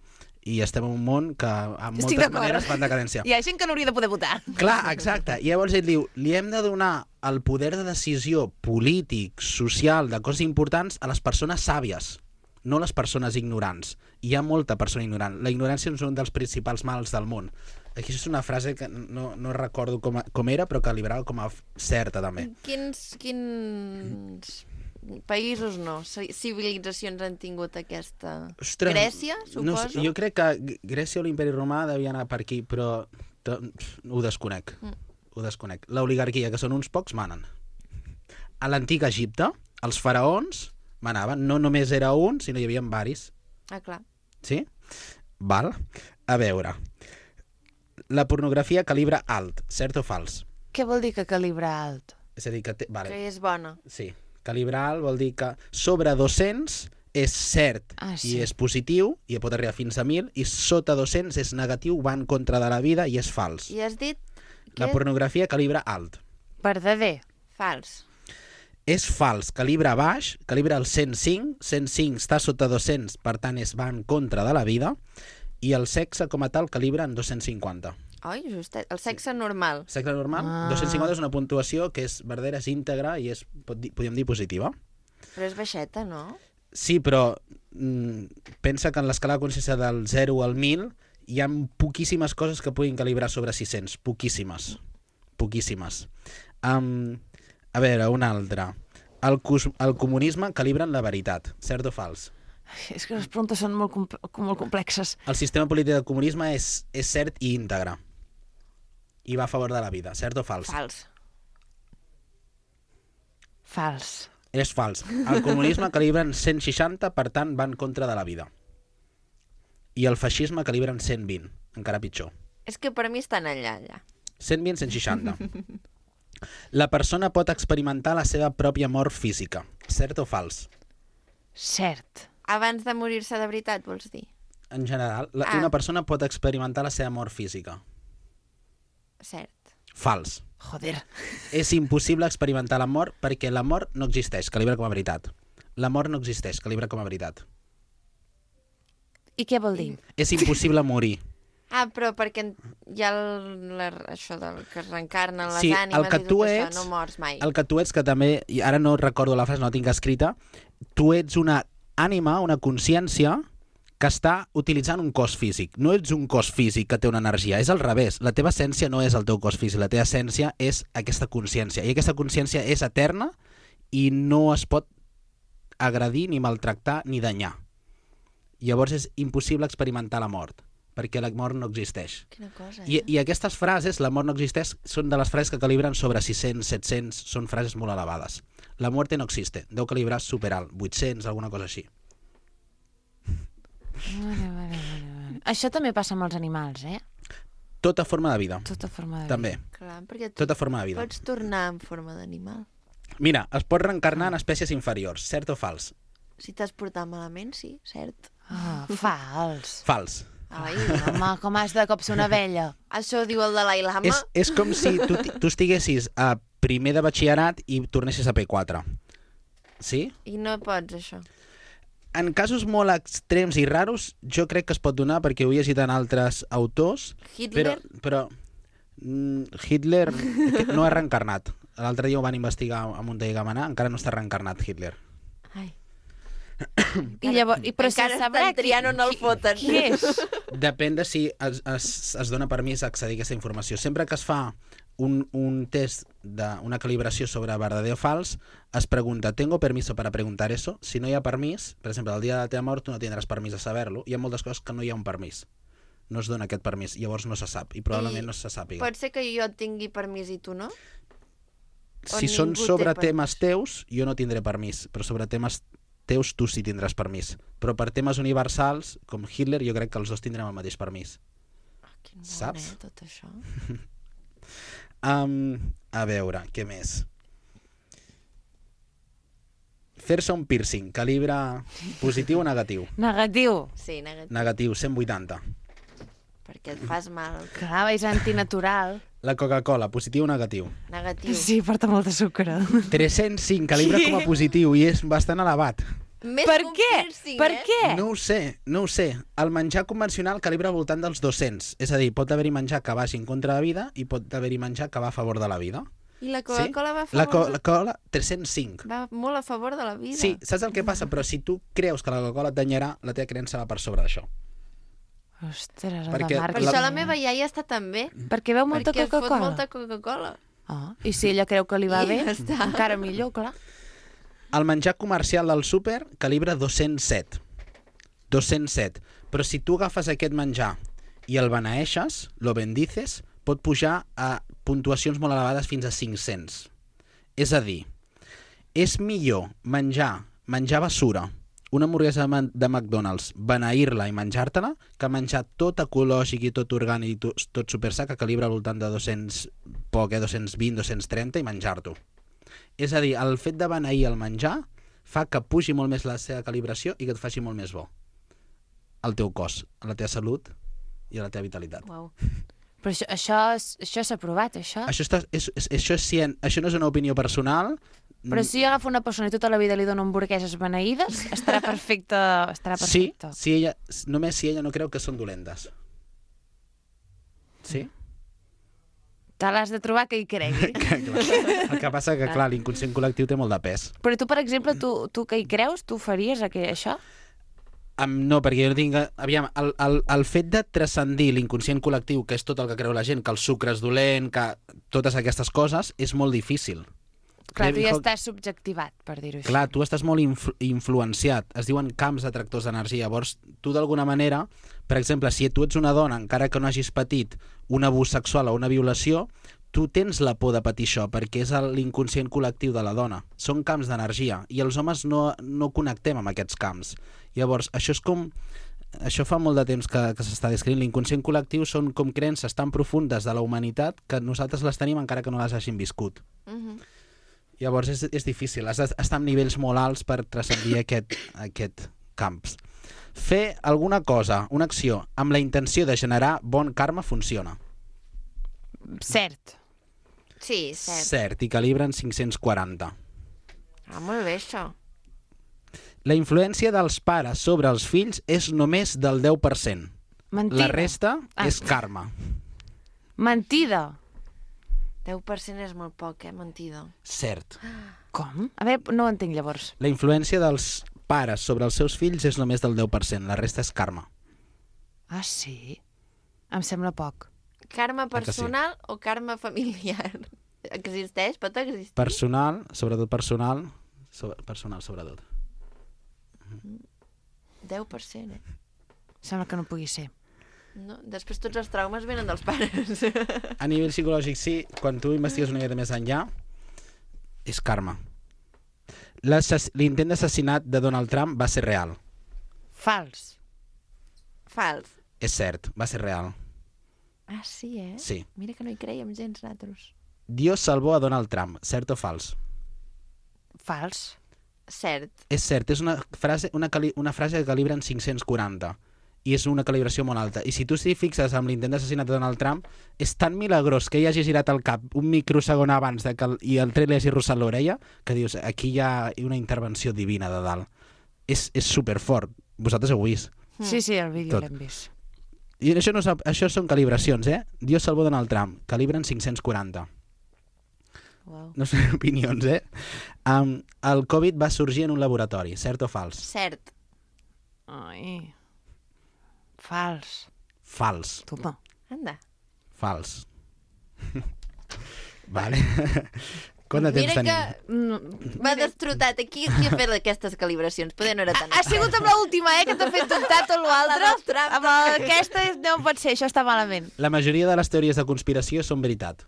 I estem en un món que en Estic moltes d'acord. maneres va en decadència. Hi ha gent que no hauria de poder votar. Clar, exacte. I llavors ell diu, li hem de donar el poder de decisió polític, social, de coses importants a les persones sàvies, no les persones ignorants. I hi ha molta persona ignorant. La ignorància és un dels principals mals del món. Aquí és una frase que no recordo com era, però que liberava com a certa, també. Quins països no, civilitzacions han tingut aquesta... Ostres, Grècia, no sé, suposo? jo crec que Grècia o l'Imperi Romà devia anar per aquí, però ho desconec. Ho desconec. L'oligarquia, que són uns pocs, manen. A l'antic Egipte, els faraons manaven. No només era un, sinó hi havia varis. Ah, clar. Sí? Val? A veure, la pornografia calibre alt, cert o fals? Què vol dir que calibre alt? És a dir, que... Vale. Que és bona. Sí, calibre alt vol dir que sobre 200 és cert sí. i és positiu, i pot arribar fins a 1.000, i sota 200 és negatiu, va en contra de la vida i és fals. I has dit La pornografia calibre alt. Verdader. fals. És fals, calibre baix, calibre el 105, 105 està sota 200, per tant va en contra de la vida, i el sexe com a tal calibre en 250. Oi, justet. El sexe normal. Sexe normal, 250 és una puntuació que és verdadera, és íntegra i és, podríem dir, positiva. Però és baixeta, no? Sí, però pensa que en l'escala de consciència del 0 al 1.000 hi ha poquíssimes coses que puguin calibrar sobre 600. Poquíssimes. Poquíssimes. A veure, una altra. El comunisme calibra en la veritat. Cert o fals? És que les preguntes són molt complexes. El sistema polític del comunisme és cert i íntegre. I va a favor de la vida. Cert o fals? Fals. Fals. És fals. El comunisme calibra en 160, per tant va en contra de la vida. I el feixisme calibra en 120, encara pitjor. És que per mi estan allà. 120, 160. La persona pot experimentar la seva pròpia mort física. Cert o fals? Cert. Abans de morir-se de veritat, vols dir? En general, una persona pot experimentar la seva mort física. Cert. Fals. Joder. És impossible experimentar la mort perquè la mort no existeix, calibra com a veritat. La mort no existeix, calibra com a veritat. I què vol dir? És impossible morir. Però perquè hi ha això del que es reencarnen les Sí, ànimes el que i tu tot ets, això, no mors mai. El que tu ets, que també, i ara no recordo la frase, no la tinc escrita, tu ets una ànima, una consciència que està utilitzant un cos físic. No ets un cos físic que té una energia, és al revés. La teva essència no és el teu cos físic, la teva essència és aquesta consciència. I aquesta consciència és eterna i no es pot agredir, ni maltractar, ni danyar. Llavors és impossible experimentar la mort, perquè la mort no existeix. Quina cosa, I aquestes frases, la mort no existeix, són de les frases que calibren sobre 600, 700, són frases molt elevades. La muerte no existe, deu calibrar superalt, 800, alguna cosa així. Vale. Això també passa amb els animals, eh? Tota forma de vida, Tota forma de també. Clar, perquè tu Tota forma de vida. pots tornar en forma d'animal. Mira, es pot reencarnar en espècies inferiors, cert o fals? Si t'has portat malament, sí, cert. Fals. Fals. Ai, Home, com has de cop ser una abella? això ho diu el Dalai Lama. És com si tu estiguessis a primer de batxillerat i tornessis a P4. Sí? I no pots, això. En casos molt extrems i raros, jo crec que es pot donar perquè ho he llegit en altres autors. Hitler? Però Hitler no ha reencarnat. L'altre dia ho van investigar a Montell Gamenà, encara no està reencarnat Hitler. Ai. I llavors, però Encara se sabrà estan triant on el foten. qui és. Depèn de si es dona permís a accedir a aquesta informació. Sempre que es fa un test d'una calibració sobre verdader o fals, es pregunta, ¿tengo permiso para preguntar eso? Si no hi ha permís, per exemple, el dia de la teva mort tu no tindràs permís de saber-lo. Hi ha moltes coses que no hi ha un permís. No es dona aquest permís, llavors no se sap, i probablement no se sàpiga. Pot ser que jo tingui permís i tu no? Si o són ningú té sobre permís? temes teus, jo no tindré permís, però sobre temes teus tu sí tindràs permís. Però per temes universals, com Hitler, jo crec que els dos tindrem el mateix permís. Quin món, Saps? tot això. A veure, què més? Fer-se un piercing, calibre positiu o negatiu? Negatiu. Sí, negatiu, Negatiu, 180. perquè et fas mal. Clar, és antinatural. La Coca-Cola, positiu o negatiu? Negatiu. Sí, porta molta sucre. 305, calibre com a positiu, i és bastant elevat. Més Per que un què? piercing, Per eh? què? No ho sé. El menjar convencional calibra al voltant dels 200. És a dir, pot haver-hi menjar que vagi en contra de la vida i pot haver-hi menjar que va a favor de la vida. I la Coca-Cola va a La favor? Coca-Cola, 305. Va molt a favor de la vida. Sí, saps el que passa? Però si tu creus que la Coca-Cola et danyarà, la teva creença va per sobre d'això. Ostres, el Perquè de Per marketing. això la meva iaia està tan bé. Perquè veu molta perquè fot Coca-Cola. molta Coca-Cola. I si ella creu que li va I bé, ja està. encara millor, clar. El menjar comercial del súper calibra 207. 207. Però si tu agafes aquest menjar i el beneeixes, lo bendices, pot pujar a puntuacions molt elevades fins a 500. És a dir, és millor menjar basura una hamburguesa de McDonald's, beneir-la i menjar-te-la, que menjar tot ecològic i tot orgànic i tot supersa, que calibra al voltant de 200, 220, 230 i menjar-t'ho. És a dir, el fet de beneir el menjar fa que pugi molt més la seva calibració i que et faci molt més bo al teu cos, a la teva salut i a la teva vitalitat. Uau. Però això s'ha provat, això? Això no és una opinió personal. Però si agafo una persona i tota la vida li dono hamburgueses beneïdes, estarà perfecte. Sí, només si ella no creu que són dolentes. Sí? Te l'has de trobar que hi cregui. El que passa que, clar, l'inconscient col·lectiu té molt de pes. Però tu, per exemple, tu que hi creus, tu faries això? No, perquè jo no tinc... Aviam, el fet de transcendir l'inconscient col·lectiu, que és tot el que creu la gent, que el sucre és dolent, que totes aquestes coses, és molt difícil. Clar, tu ja estàs subjectivat, per dir-ho així. Clar, tu estàs molt influenciat. Es diuen camps atractors d'energia. Llavors, tu d'alguna manera, per exemple, si tu ets una dona, encara que no hagis patit un abús sexual o una violació, tu tens la por de patir això, perquè és l'inconscient col·lectiu de la dona. Són camps d'energia, i els homes no connectem amb aquests camps. Llavors, això és com... Això fa molt de temps que s'està descrivint. L'inconscient col·lectiu són com creences tan profundes de la humanitat que nosaltres les tenim encara que no les hagin viscut. Llavors és difícil, has d'estar en nivells molt alts per transcendir aquest camps. Fer alguna cosa, una acció, amb la intenció de generar bon karma funciona. Cert. Sí, cert. Cert, i calibren 540. Molt bé, això. La influència dels pares sobre els fills és només del 10%. Mentida. La resta és karma. Mentida. 10% és molt poc, mentida. Cert. Com? A veure, no ho entenc, llavors. La influència dels pares sobre els seus fills és només del 10%, la resta és karma. Ah, sí? Em sembla poc. Karma personal o karma familiar? Existeix? Pot existir? Personal, sobretot personal. Personal, sobretot. 10%, Sembla que no pugui ser. No? Després tots els traumes venen dels pares. A nivell psicològic sí, quan tu investigues una mica més enllà, és karma. L'intent d'assassinat de Donald Trump va ser real. Fals. Fals. És cert, va ser real. Ah, sí, Sí. Mira que no hi creiem gens, nosaltres. Dios salvó a Donald Trump, cert o fals? Fals. Cert. És cert, és una frase que calibra en 540 i és una calibració molt alta. I si tu t'hi fixes amb l'intent d'assassinat de Donald Trump, és tan milagrós que ell hagi girat el cap un microsegon abans i el tret li hagi rossat l'orella, que dius, aquí hi ha una intervenció divina de dalt. És superfort. Vosaltres ho heu vist. Sí, el vídeo Tot. l'hem vist. I això són calibracions, Dios salvó Donald Trump, calibren 540. Wow. No són opinions, el Covid va sorgir en un laboratori, cert o fals? Cert. Ai. Fals. Fals. Toma. Anda. Fals. Vale. Quant de temps tenim? Mira que m'ha destrotat. Qui ha fet aquestes calibracions? Poder no era tan... Ha sigut amb l'última, que t'ha fet dubtar tot l'altre. La del Trump. Amb aquesta no pot ser, això està malament. La majoria de les teories de conspiració són veritat.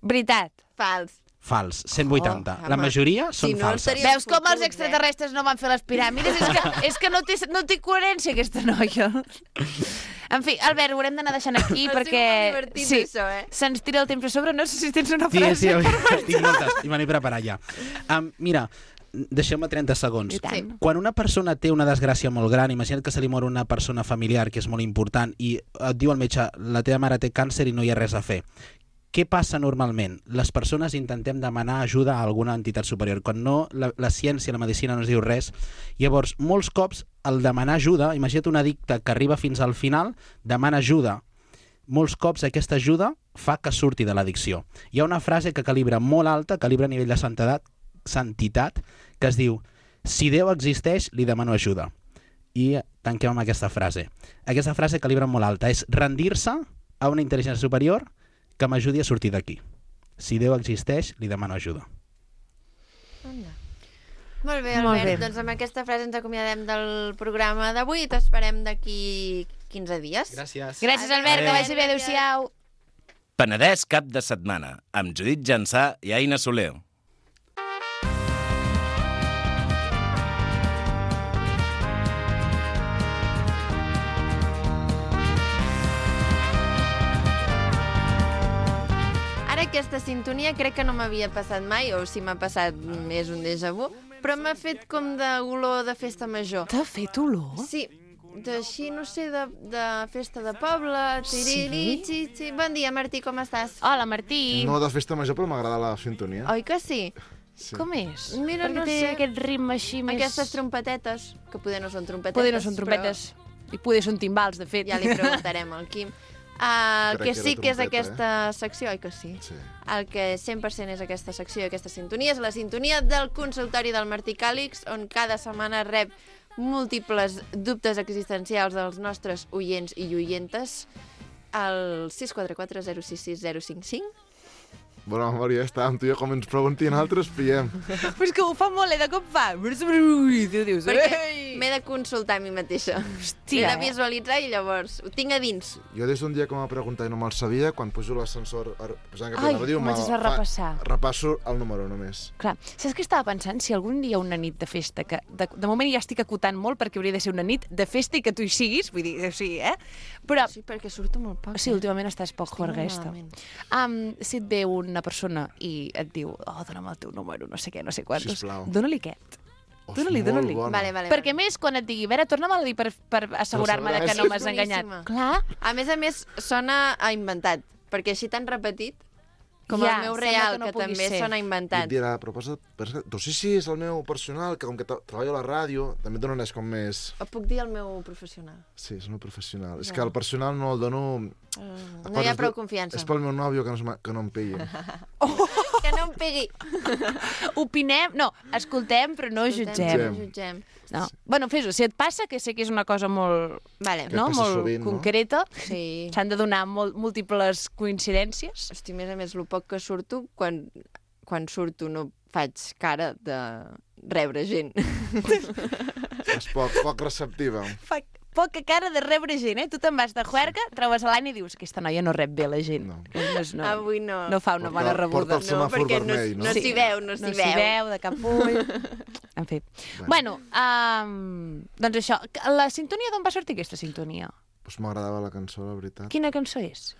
Veritat. Fals. Fals, 180. La majoria són falses. Veus com els extraterrestres no van fer les piràmides? És que no té coherència aquesta noia. En fi, Albert, ho haurem d'anar deixant aquí perquè... Ha sigut divertit, això, se'ns tira el temps a sobre. No sé si tens una frase. Sí, tinc moltes, i me n'he preparat ja. Mira, deixeu-me 30 segons. Sí. Quan una persona té una desgràcia molt gran, imagina't que se li mor una persona familiar que és molt important i et diu el metge, la teva mare té càncer i no hi ha res a fer. Què passa normalment? Les persones intentem demanar ajuda a alguna entitat superior. Quan no, la ciència, la medicina no ens diu res. Llavors, molts cops, el demanar ajuda, imagina't un addicte que arriba fins al final, demana ajuda. Molts cops aquesta ajuda fa que surti de l'addicció. Hi ha una frase que calibra molt alta, calibra a nivell de santitat, que es diu, si Déu existeix, li demano ajuda. I tanquem amb aquesta frase. Aquesta frase calibra molt alta, és rendir-se a una intel·ligència superior que m'ajudi a sortir d'aquí. Si Déu existeix, li demano ajuda. Molt bé, Albert. Doncs amb aquesta frase ens acomiadem del programa d'avui i t'esperem d'aquí 15 dies. Gràcies. Gràcies, Albert, que vagi bé. Adéu-siau. Penedès cap de setmana, amb Judit Jansà i Aina Soler. aquesta sintonia crec que no m'havia passat mai, o si m'ha passat és un déjà vu, però m'ha fet com d'olor de festa major. T'ha fet olor? Sí, d'així, no sé, de festa de poble, tiriri. Bon dia, Martí, com estàs? Hola, Martí. No de festa major, però m'agrada la sintonia. Oi que sí? Sí. Com és? Mira, Perquè no té sé. aquest ritme així més... Aquestes trompetetes, que poder no són trompetetes. Poder no són trompetes. I poder són timbals, de fet. Ja li preguntarem al Quim. El Crec que que sí era que és trompeta, aquesta secció, oi que sí? Sí. El que 100% és aquesta secció, aquesta sintonia, és la sintonia del consultori del Martí Càlix, on cada setmana rep múltiples dubtes existencials dels nostres oients i oientes al 644 066 055. Bona memòria, està amb tu i com ens preguntin altres, pillem. Però és que ho fa molt, de cop fa... I tu dius... Perquè m'he de consultar a mi mateixa. M'he de visualitzar i llavors ho tinc a dins. Jo des d'un dia que m'ha preguntat i no me'l sabia, quan pujo l'ascensor posant cap a Ai, la ràdio, comences a repassar. Repasso el número només. Clar, saps què estava pensant? Si algun dia una nit de festa, que de moment ja estic acotant molt perquè hauria de ser una nit de festa i que tu hi siguis, vull dir, o sigui, Però, Sí, perquè surto molt poc. sí, últimament estàs poc Estic molt juerguesta. malament. Si et ve una persona i et diu, dona'm el teu número, no sé què, no sé quantos, Sisplau. dona-li aquest. Oh, Dóna-li, és molt dóna-li. bona. Vale. Perquè més, quan et digui, a veure, torna'm a dir per assegurar-me de que no m'has enganyat. Boníssima. Clar, A més, sona a inventat, perquè així tan repetit, com Ja, el meu sembla real, que no que pugui també ser. sona I et inventat. dirà, però doncs sí, és el meu personal, que com que treballo a la ràdio, també et donen com més... O puc dir el meu professional? Sí, és el meu professional. És Ja. que el personal no el dono... No hi ha prou confiança. És pel meu nòvio que no em pillin. Que no em pegui. opinem, no, escoltem, però no jutgem. No jutgem. No. Bueno, fes-ho, si et passa, que sé que és una cosa molt, Vale. Que no? passa molt sovint, no? concreta, Sí. s'han de donar múltiples coincidències. Hosti, a més, el poc que surto, quan surto no faig cara de rebre gent. És poc receptiva. Fa poca cara de rebre gent, Tu te'n vas de juerga, trobes a l'any i dius, aquesta noia no rep bé la gent. No. No, Avui no. no fa una Porta- bona rebuda. porta el semàfor perquè vermell, no? no s'hi veu, no No s'hi s'hi veu. veu, de cap ull. En fi. Bueno, doncs això. La sintonia, d'on va sortir aquesta sintonia? Pues m'agradava la cançó, la veritat. Quina cançó és?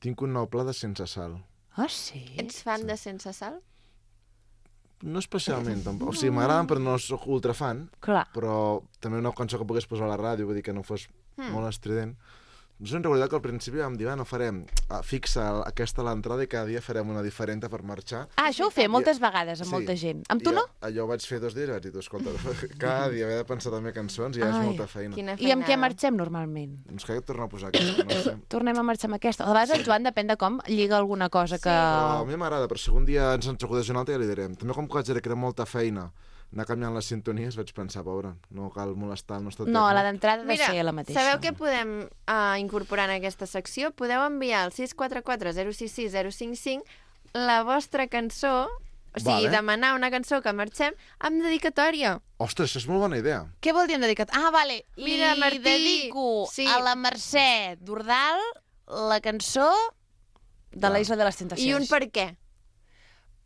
Tinc un nou pla de Sense Sal. Ah, sí? Ets fan de Sense Sal? No especialment, tampoc. O sigui, m'agraden, però no sóc ultrafan. Clar. Però també una cançó que pogués posar a la ràdio, vull dir que no fos molt estrident. No sé, en realitat, que al principi vam dir, no farem fixa aquesta a l'entrada i cada dia farem una diferent per marxar. Ah, això ho fem moltes vegades amb Sí. molta gent. Amb tu I no? Allò ho vaig fer 2 dies i vaig dir, escolta, cada dia haver de pensar també cançons i ja és Ai, molta feina. Quina I amb què feinada. marxem normalment? Doncs que tornar a posar aquesta, no sé. Tornem a marxar amb aquesta. A vegades el Joan depèn de com lliga alguna cosa que... Però a mi m'agrada, però si algun dia ens acudeix una altra ja li direm. També com que vaig veure que era molta feina anar canviant les sintonies, vaig pensar, pobre, no cal molestar el nostre No, la tècnic. d'entrada ha de Mira, ser la mateixa. sabeu què podem incorporar en aquesta secció? Podeu enviar al 644 066 055 la vostra cançó, o sigui, Vale. demanar una cançó que marxem amb dedicatòria. Ostres, això és molt bona idea. Què vol dir en dedicat? Ah, vale. Mira, Li Martí, dedico sí. a la Mercè Dordal la cançó de la Isla de les Tentacions. I un per què?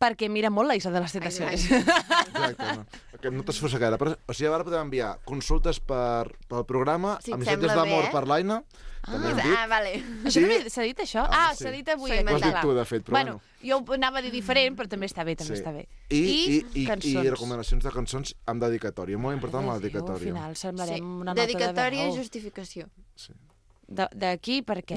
Perquè mira molt la Isla de les Tentacions. Exacte, no. Que no t'esforça gaire. Però, o sigui, ara podem enviar consultes pel programa, Si et missatges sembla bé, d'amor per l'Aina, també hem dit. vale. Això no s'ha dit, això? Ah, S'ha sí. dit avui. S'ho aquest, Ho has dit clar. tu, de fet, però bueno. Jo ho anava a dir diferent, però també està bé, també està bé. I cançons. recomanacions de cançons amb dedicatòria. Molt important la Al dedicatòria. final semblarem Sí. una nota de Dedicatòria i veu. justificació. Sí. D'aquí per què?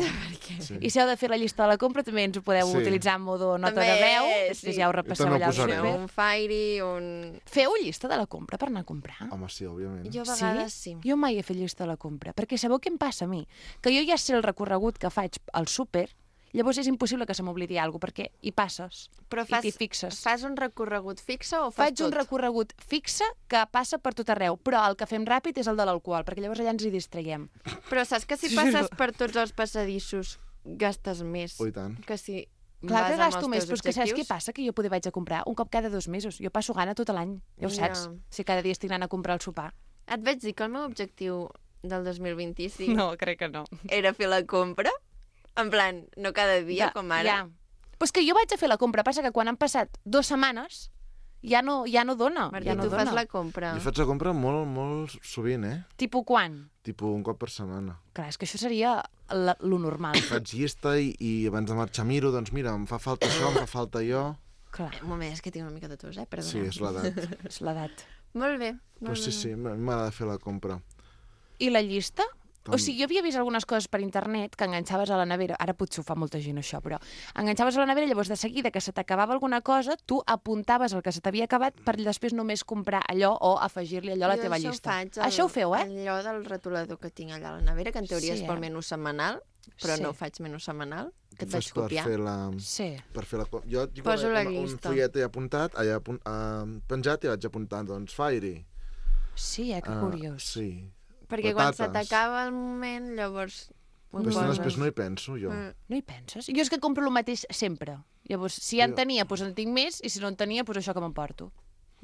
Sí. I si heu de fer la llista de la compra, també ens ho podeu Sí. utilitzar en modo nota També, de veu. sí. Després ja ho I repasseu també ho allà al posarem. súper. Un Fairy, un... Feu llista de la compra per anar a comprar? Home, sí, òbviament. Jo a vegades sí. Jo mai he fet llista de la compra, perquè sabeu què em passa a mi? Que jo ja sé el recorregut que faig al súper, llavors és impossible que se m'oblidi alguna cosa, perquè hi passes Però i t'hi fixes. fas un recorregut fixe o fas Faig un tot? recorregut fixe que passa per tot arreu, però el que fem ràpid és el de l'alcohol, perquè llavors allà ens hi distraiem. Però saps que si passes per tots els passadissos gastes més Oh, i tant. que si Clar vas que amb gasto els més, teus però és que saps què objectius? passa? Que jo poder vaig a comprar un cop cada 2 mesos. Jo passo gana tot l'any, ja ho Ja. saps. Si cada dia estic anant a comprar el sopar. Et vaig dir que el meu objectiu del 2025 crec que no. era fer la compra? En plan, no cada dia, com ara? Ja. Però és que jo vaig a fer la compra, passa que quan han passat 2 setmanes ja no dona. Martí, ja no tu dona. fas la compra. Jo faig la compra molt, molt sovint, Tipo quan? Tipo un cop per setmana. Clar, és que això seria lo normal. Faig llista i abans de marxar miro, doncs mira, em fa falta això, em fa falta allò... Clar, Un moment, és que tinc una mica de tos, Sí, perdoneu. és l'edat. és l'edat. Molt bé. Però sí, m'agrada fer la compra. I la llista? Com? O sigui, jo havia vist algunes coses per internet que enganxaves a la nevera, ara potser ho fa molta gent això, però enganxaves a la nevera i llavors de seguida que se t'acabava alguna cosa, tu apuntaves el que se t'havia acabat per després només comprar allò o afegir-li allò a la teva llista. Això ho feu, eh? Allò del retolador que tinc allà a la nevera, que en teoria Sí, és pel eh? menú setmanal, però Sí. no ho faig menú setmanal, que et Fas vaig copiar. Sí. Per fer la... Jo tinc Poso la un llista. fullet apuntat, penjat i vaig apuntant, doncs, Fairy. Sí, que curiós. Sí. Perquè quan se Patates. t'acaba el moment, llavors... ho Però poses. després no hi penso, jo. No hi penses? Jo és que compro el mateix sempre. Llavors, si ja en tenia, doncs en tinc més, i si no en tenia, doncs això que m'emporto.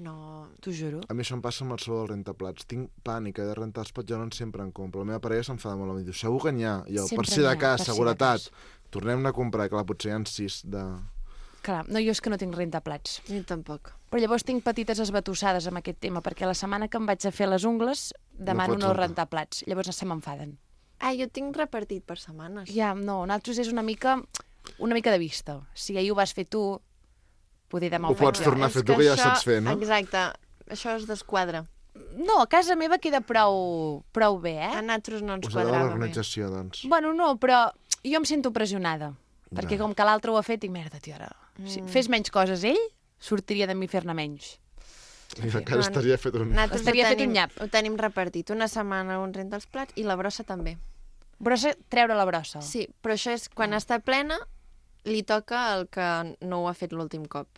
No, T'ho juro. A mi això em passa amb el sou del rentaplats. Tinc pànic de rentar els plats, jo no en sempre en compro. La meva parella s'enfada molt, em diu, segur que n'hi ha. Jo, Sempre per si de n'hi ha, cas, per si de seguretat, cas. tornem a comprar, que potser hi ha 6 de... Clar, no, jo és que no tinc rentaplats. jo tampoc. Però llavors tinc petites esbatussades amb aquest tema, perquè la setmana que em vaig a fer les ungles demano pots no rentar. rentar plats. Llavors se m'enfaden. Ah, jo tinc repartit per setmanes. Ja, no, nosaltres és una mica de vista. Si ahir ho vas fer tu, poder demà Ho ho faig pots jo. tornar a fer tu, que ja saps fer, no? Exacte, això es desquadra. No, a casa meva queda prou bé, A eh? nosaltres no ens Us agrada quadrava bé. l'organització, doncs. Bueno, no, però jo em sento pressionada. Perquè com que l'altre ho ha fet, dic, merda, tio, ara... Si fes menys coses ell, sortiria de mi fer-ne menys. I encara estaria fet un... Nosaltres Estaria fet un nyap. Ho tenim repartit. Una setmana un renta els plats i la brossa també. Brossa, treure la brossa. Sí, però això és quan està plena, li toca el que no ho ha fet l'últim cop.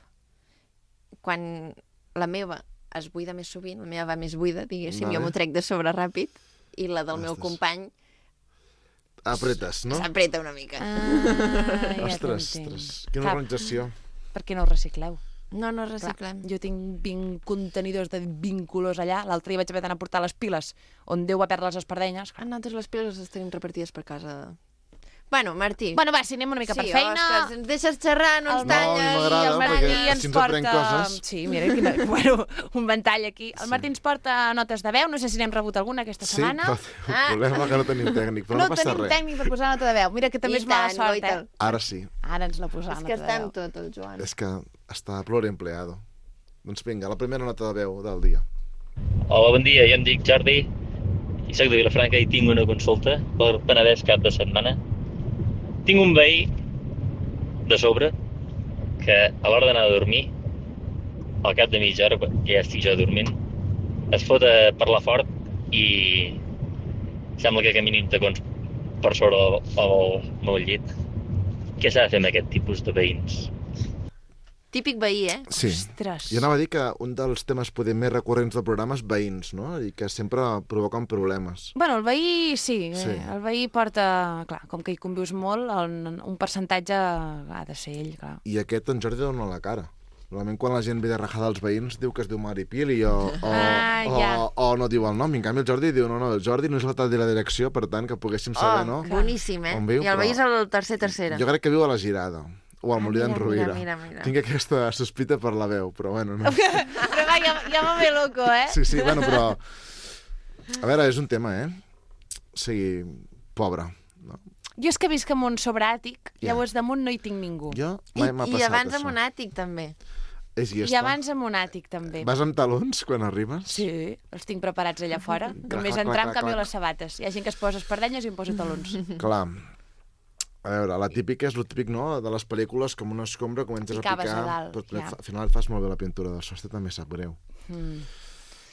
Quan la meva es buida més sovint, la meva va més buida, diguéssim, Vale. jo m'ho trec de sobre ràpid, i la del meu Ostres. company Apretes, no? s'apreta una mica. Ah, ja Ostres, t'entenc. ostres, quina Clar, organització. Per què no ho recicleu? No Clar, reciclem. jo tinc 20 contenidors de 20 colors allà. L'altre dia vaig haver d'anar a portar les piles on Déu va perdre les espardenyes. A nosaltres les piles les tenim repartides per casa. Bueno, Martí. Bueno, va, si anem una mica per feina... Ostres, ens deixes xerrar, no ens El talles. No, m'agrada, el Martí perquè ens si ens aprèn porta... coses. Sí, mira, quina... bueno, un ventall aquí. El Martí ens porta notes de veu, no sé si n'hem rebut alguna aquesta Sí, setmana. però el problema que no tenim tècnic, però no, passa tenim res. tècnic per posar nota de veu. Mira que també I és mala tant, sort, Goita. Ara sí, Ara ens la posarà És que nota està de en veu. tot, el Joan. és que està pluriempleado. Doncs vinga, la primera nota de veu del dia. Hola, bon dia, jo em dic Jordi i soc de Vilafranca i tinc una consulta per Penedès cap de setmana. Tinc un veí de sobre que a l'hora d'anar a dormir, al cap de mitja hora, quan ja estic jo dormint, es fot a parlar fort i sembla que camini uns tacons per sobre el meu llit. Què s'ha de fer amb aquest tipus de veïns? Típic veí, eh? Sí. Ostres. Jo anava a dir que un dels temes poder més recurrents del programa és veïns, no? I que sempre provoquen problemes. Bueno, el veí sí, Sí. el veí porta... Clar, com que hi convius molt, un percentatge ha de ser ell, clar. I aquest en Jordi dona la cara. Normalment quan la gent ve de rajada als veïns diu que es diu Maripili o ja. no diu el nom. I en canvi el Jordi diu, no, el Jordi no és la tal de la direcció, per tant que poguéssim saber, no? Boníssim, eh? On viu, I el però- veí és el tercera. Jo crec que viu a la Girada. O al Molí d'en Rovira. mira. Tinc aquesta sospita per la veu, però bueno, no. Però va, ja va bé loco, eh? Sí, bueno, però... A veure, és un tema, eh? O sigui, pobre. No? Jo és que visc en un sobreàtic, Ja. llavors damunt no hi tinc ningú. Jo mai m'ha I passat abans això. amb un àtic, també. És I llesta. abans amb un àtic, també. Vas amb talons quan arribes? Sí, els tinc preparats allà fora. Només clac, entrar em clac, canvio clac. les sabates. Hi ha gent que es posa espardenyes i em posa talons. Clar. A veure, la típica és el típic, no?, de les pel·lícules, com una escombra, comences a Ficaves picar... a dalt, però ja. al final et fas molt bé la pintura del sostre, també sap greu.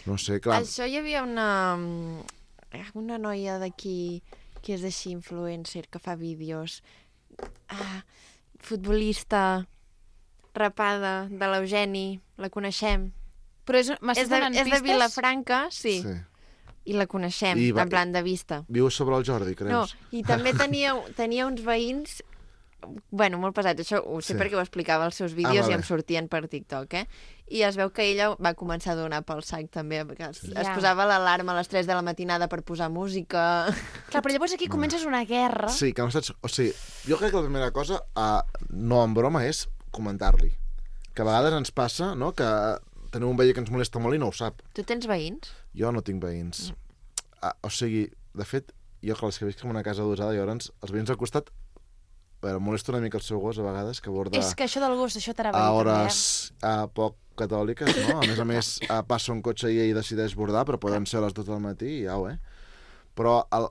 No sé, clar... Això hi havia una noia d'aquí que és així influencer, que fa vídeos. Futbolista, rapada, de l'Eugeni, la coneixem. Però És m'estàs de, donant és de pistes? Vilafranca, sí. I la coneixem, I va- en plan de vista. Viu sobre el Jordi, creus? No, i també tenia uns veïns, bueno, molt pesats, això ho sé Sí. perquè ho explicava als seus vídeos vale. i em sortien per TikTok, eh? I es veu que ella va començar a donar pel sac també, perquè es Ja. posava l'alarma a les 3 de la matinada per posar música. Clar, però llavors aquí comences una guerra. Sí, que no saps... O sigui, jo crec que la primera cosa, no en broma, és comentar-li. Que a vegades ens passa, no?, que tenim un veí que ens molesta molt i no ho sap. Tu tens veïns? Jo no tinc veïns. O sigui, de fet, jo, clar, és que visc en una casa adosada, i llavors els veïns al costat, a veure, molesta una mica el seu gos a vegades, que borda És que això del gos, això t'anava a a dir també, hores poc catòliques, no? A més, passa un cotxe i ell decideix bordar, però poden ser a les 2 del matí i au, Però el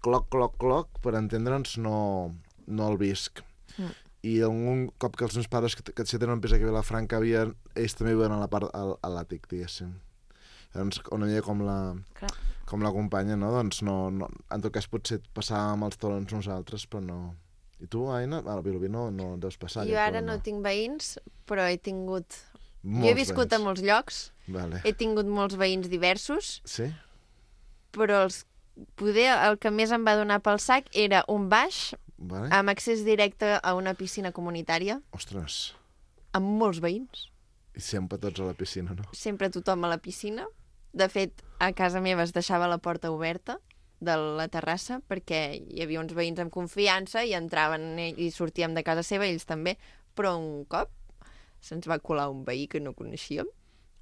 cloc, per entendre'ns, no el visc. I un cop que els meus pares, que si tenen un pis aquí a Vilafranca, ells també viuen a la part a l'àtic, diguéssim. Llavors, una mica com la companya, no? Doncs no, en tot cas potser passàvem els talons nosaltres, però no. I tu, Aina? A Vilobí no deus passar. Jo ara no tinc veïns, però he tingut... Molts jo he viscut veïns. a molts llocs, Vale. he tingut molts veïns diversos, Sí? però poder el que més em va donar pel sac era un baix Vale. amb accés directe a una piscina comunitària, Ostres. amb molts veïns. I sempre tots a la piscina, no? Sempre tothom a la piscina. De fet, a casa meva es deixava la porta oberta de la terrassa perquè hi havia uns veïns amb confiança i entraven i sortíem de casa seva, ells també, però un cop se'ns va colar un veí que no coneixíem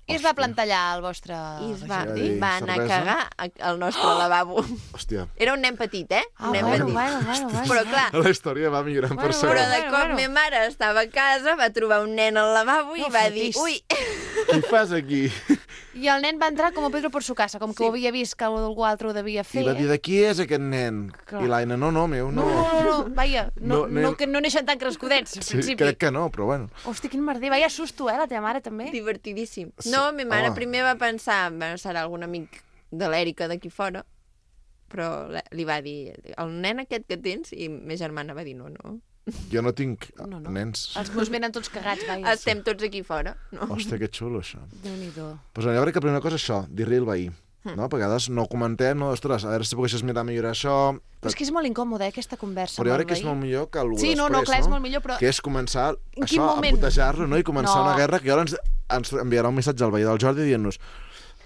I es va plantar allà al vostre i es jardí. va anar a cervesa? cagar al nostre lavabo. Hòstia. Era un nen petit, Ah, un nen petit. Però clar, La història va millorant per però segon. de cop ma mare estava a casa, va trobar un nen al lavabo i No va dir, fotis. ui, Què fas aquí? I el nen va entrar com a Pedro por su casa, com que ho havia vist que algú altre ho devia I fer. va dir, de qui és aquest nen? Clar. I l'Aina, no, meu, no. No, vaja, No, que no neixen tan crescudets, al Sí, principi. crec que no, però bueno. Hosti, quin merder, vaya susto, la teva mare també. divertidíssim. Sí. No, ma mare Home. primer va pensar, bueno, serà algun amic de l'Èrica d'aquí fora, però li va dir, el nen aquest que tens, i ma germana va dir, no. Jo no tinc No. nens. Els meus venen tots cagats, vaja. Estem tots aquí fora, no? Hòstia, que xulo, això. Déu-n'hi-do. Pues jo crec que la primera cosa és això, dir-li al veí. No? Perquè a vegades no comentem, no, ostres, a veure si poguessis mirar millorar això... Però és que és molt incòmode, aquesta conversa Però jo amb crec el que és veí. molt millor que el Sí, no, després, clar, és molt millor, però... Que és començar En quin això, moment? a putejar-lo, no? I començar No. una guerra que ara ens enviarà un missatge al veí del Jordi dient-nos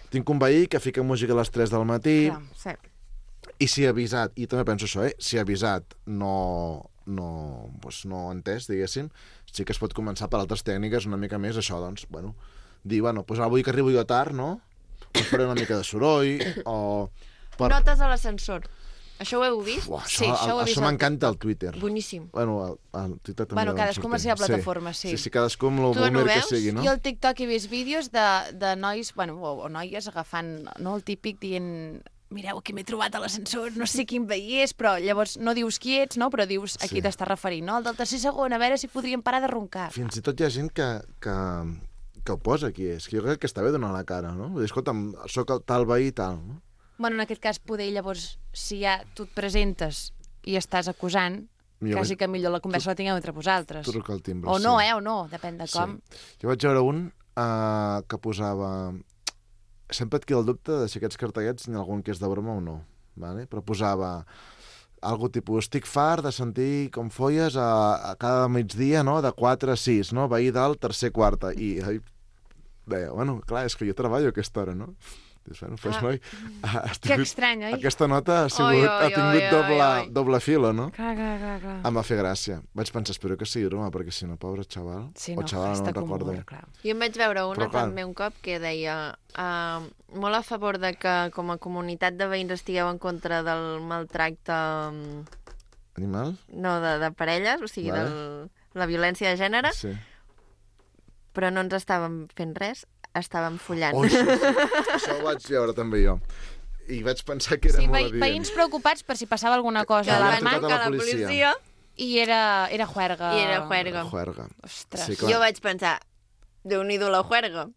tinc un veí que fica música a les 3 del matí Clar. Sí. i si ha avisat, i també penso això, si ha avisat no ha entès, diguéssim, sí que es pot començar per altres tècniques una mica més, això, doncs, bueno, dir, bueno, doncs avui que arribo jo tard, no? Us faré una mica de soroll, o... Notes a l'ascensor. Això ho heu vist? Uah, Sí, això ho he vist això al m'encanta al Twitter. Boníssim. Bueno, al Twitter també. Bueno, van cadascú amb la seva sortint. plataforma, sí. Sí, cadascú amb el Tu no boomer que veus? sigui, no? Jo al TikTok he vist vídeos de nois, bueno, o noies agafant, no, el típic dient mireu, aquí m'he trobat a l'ascensor, no sé quin veí és, però llavors no dius qui ets, no? Però dius a qui Sí. t'estàs referint, no? El del tercer segon, a veure si podríem parar de roncar. Fins i tot hi ha gent que ho posa qui és, que jo crec que està bé donar la cara, no? Vull dir, escolta'm, soc el tal veí i tal, no? Bueno, en aquest cas, poder llavors, si ja tu et presentes i estàs acusant, Millor quasi que millor la conversa la tingueu entre vosaltres. Truca al timbre, O no, sí. o no, depèn de com. Sí. Jo vaig veure un que posava... Sempre et queda el dubte de si aquests cartellets n'hi ha algun que és de broma o no, vale? Però posava algo tipus, estic fart de sentir com folles a cada migdia, no?, de 4 a 6, no?, veí dalt, tercer, quarta, i deia, bueno, clar, és que jo treballo a aquesta hora, no? Dius, bueno, pues, noi, Que estrany, oi? aquesta nota ha tingut doble filo, no? Clar. Em va fer gràcia. Vaig pensar, espero que sigui broma, perquè si no, pobre xaval, Sí, o no, xavala, no està me'n com recordo. humor, clar. Jo em vaig veure una Però, clar. també un cop que deia molt a favor de que com a comunitat de veïns estigueu en contra del maltracte Animal? no, de parelles, o sigui, Vale. la violència de gènere, Sí. però no ens estàvem fent res, estàvem follant. Oh, això ho vaig veure també jo. I vaig pensar que era Sí, molt evident. veïns preocupats per si passava alguna cosa que a van la trucat mà a la trucar a la policia. policia i era juerga. i era juerga. Juerga. Ostres. Sí, clar. Jo vaig pensar, Déu-n'hi-do la juerga.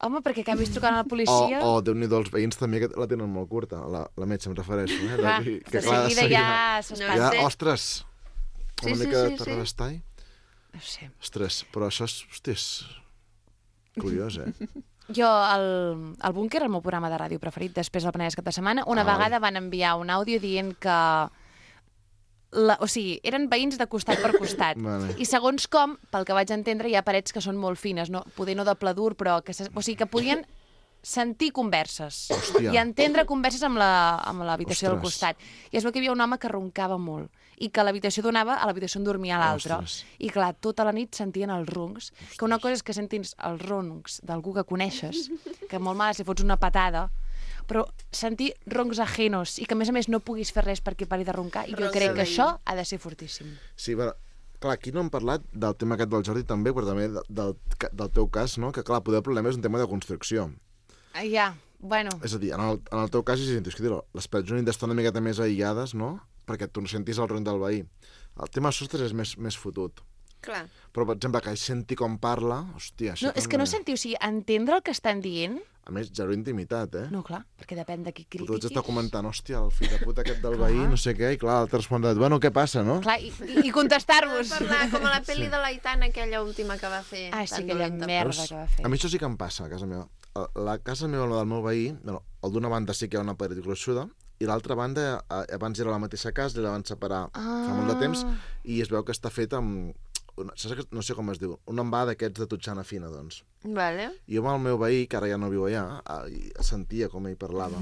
Home, perquè acabis trucant a la policia... O Déu-n'hi-do, els veïns també que la tenen molt curta, la metge em refereixo. Clar, Que, de clar, seguida ja s'espanta. Ja, Sí. ostres, Sí, una sí, mica sí, de sí. terrabastall. No sé. Ostres, però això és, hosti, és curiós, Jo, al Búnquer, el meu programa de ràdio preferit, després del Penedès cap de setmana, una vegada van enviar un àudio dient que... O sigui, eren veïns de costat per costat. Vale. I segons com, pel que vaig entendre, hi ha parets que són molt fines, no? Poder no de pla dur, però que, o sigui, que podien sentir converses Hòstia. i entendre converses amb l'habitació del Ostres. costat. I es veu que hi havia un home que roncava molt i que l'habitació donava a l'habitació on dormia l'altre. Ostres. I clar, tota la nit sentien els roncs, que una cosa és que sentis els roncs d'algú que coneixes, que molt mal si fots una patada, però sentir roncs ajenos i que, a més, no puguis fer res perquè pari de roncar, i jo crec que això ha de ser fortíssim. Sí, però, clar, aquí no hem parlat del tema aquest del Jordi també, però també del teu cas, no? Que, clar, poder el problema és un tema de construcció. Ja, bueno... És a dir, en el teu cas, les parets han d'estar una miqueta més aïllades, no? Perquè tu no sentis el ronc del veí. El tema dels sostres és més fotut. Clar. Però, per exemple, que senti com parla, hòstia... No, és que no sentiu, o sigui, entendre el que estan dient... A més, zero intimitat, No, clar, perquè depèn de qui critiquis. Tu ets està comentant, hòstia, el fill de puta aquest del veí, no sé què, i clar, l'altre respon, bueno, què passa, no? Clar, i contestar-vos. Parlar com a la pel·li de l'Aitana, aquella última que va fer. Ah, sí, aquella merda que va fer. A mi això sí que em passa, a casa meva. La casa meva, la del meu veí, el d'una banda sí que hi ha una paret gruixuda, i l'altra banda, abans era la mateixa casa, i la van separar fa molt de temps, i es veu que està feta amb... No sé com es diu, un envà d'aquests de totxana fina, doncs. Vale. I jo amb el meu veí, que ara ja no viu allà, sentia com ell parlava.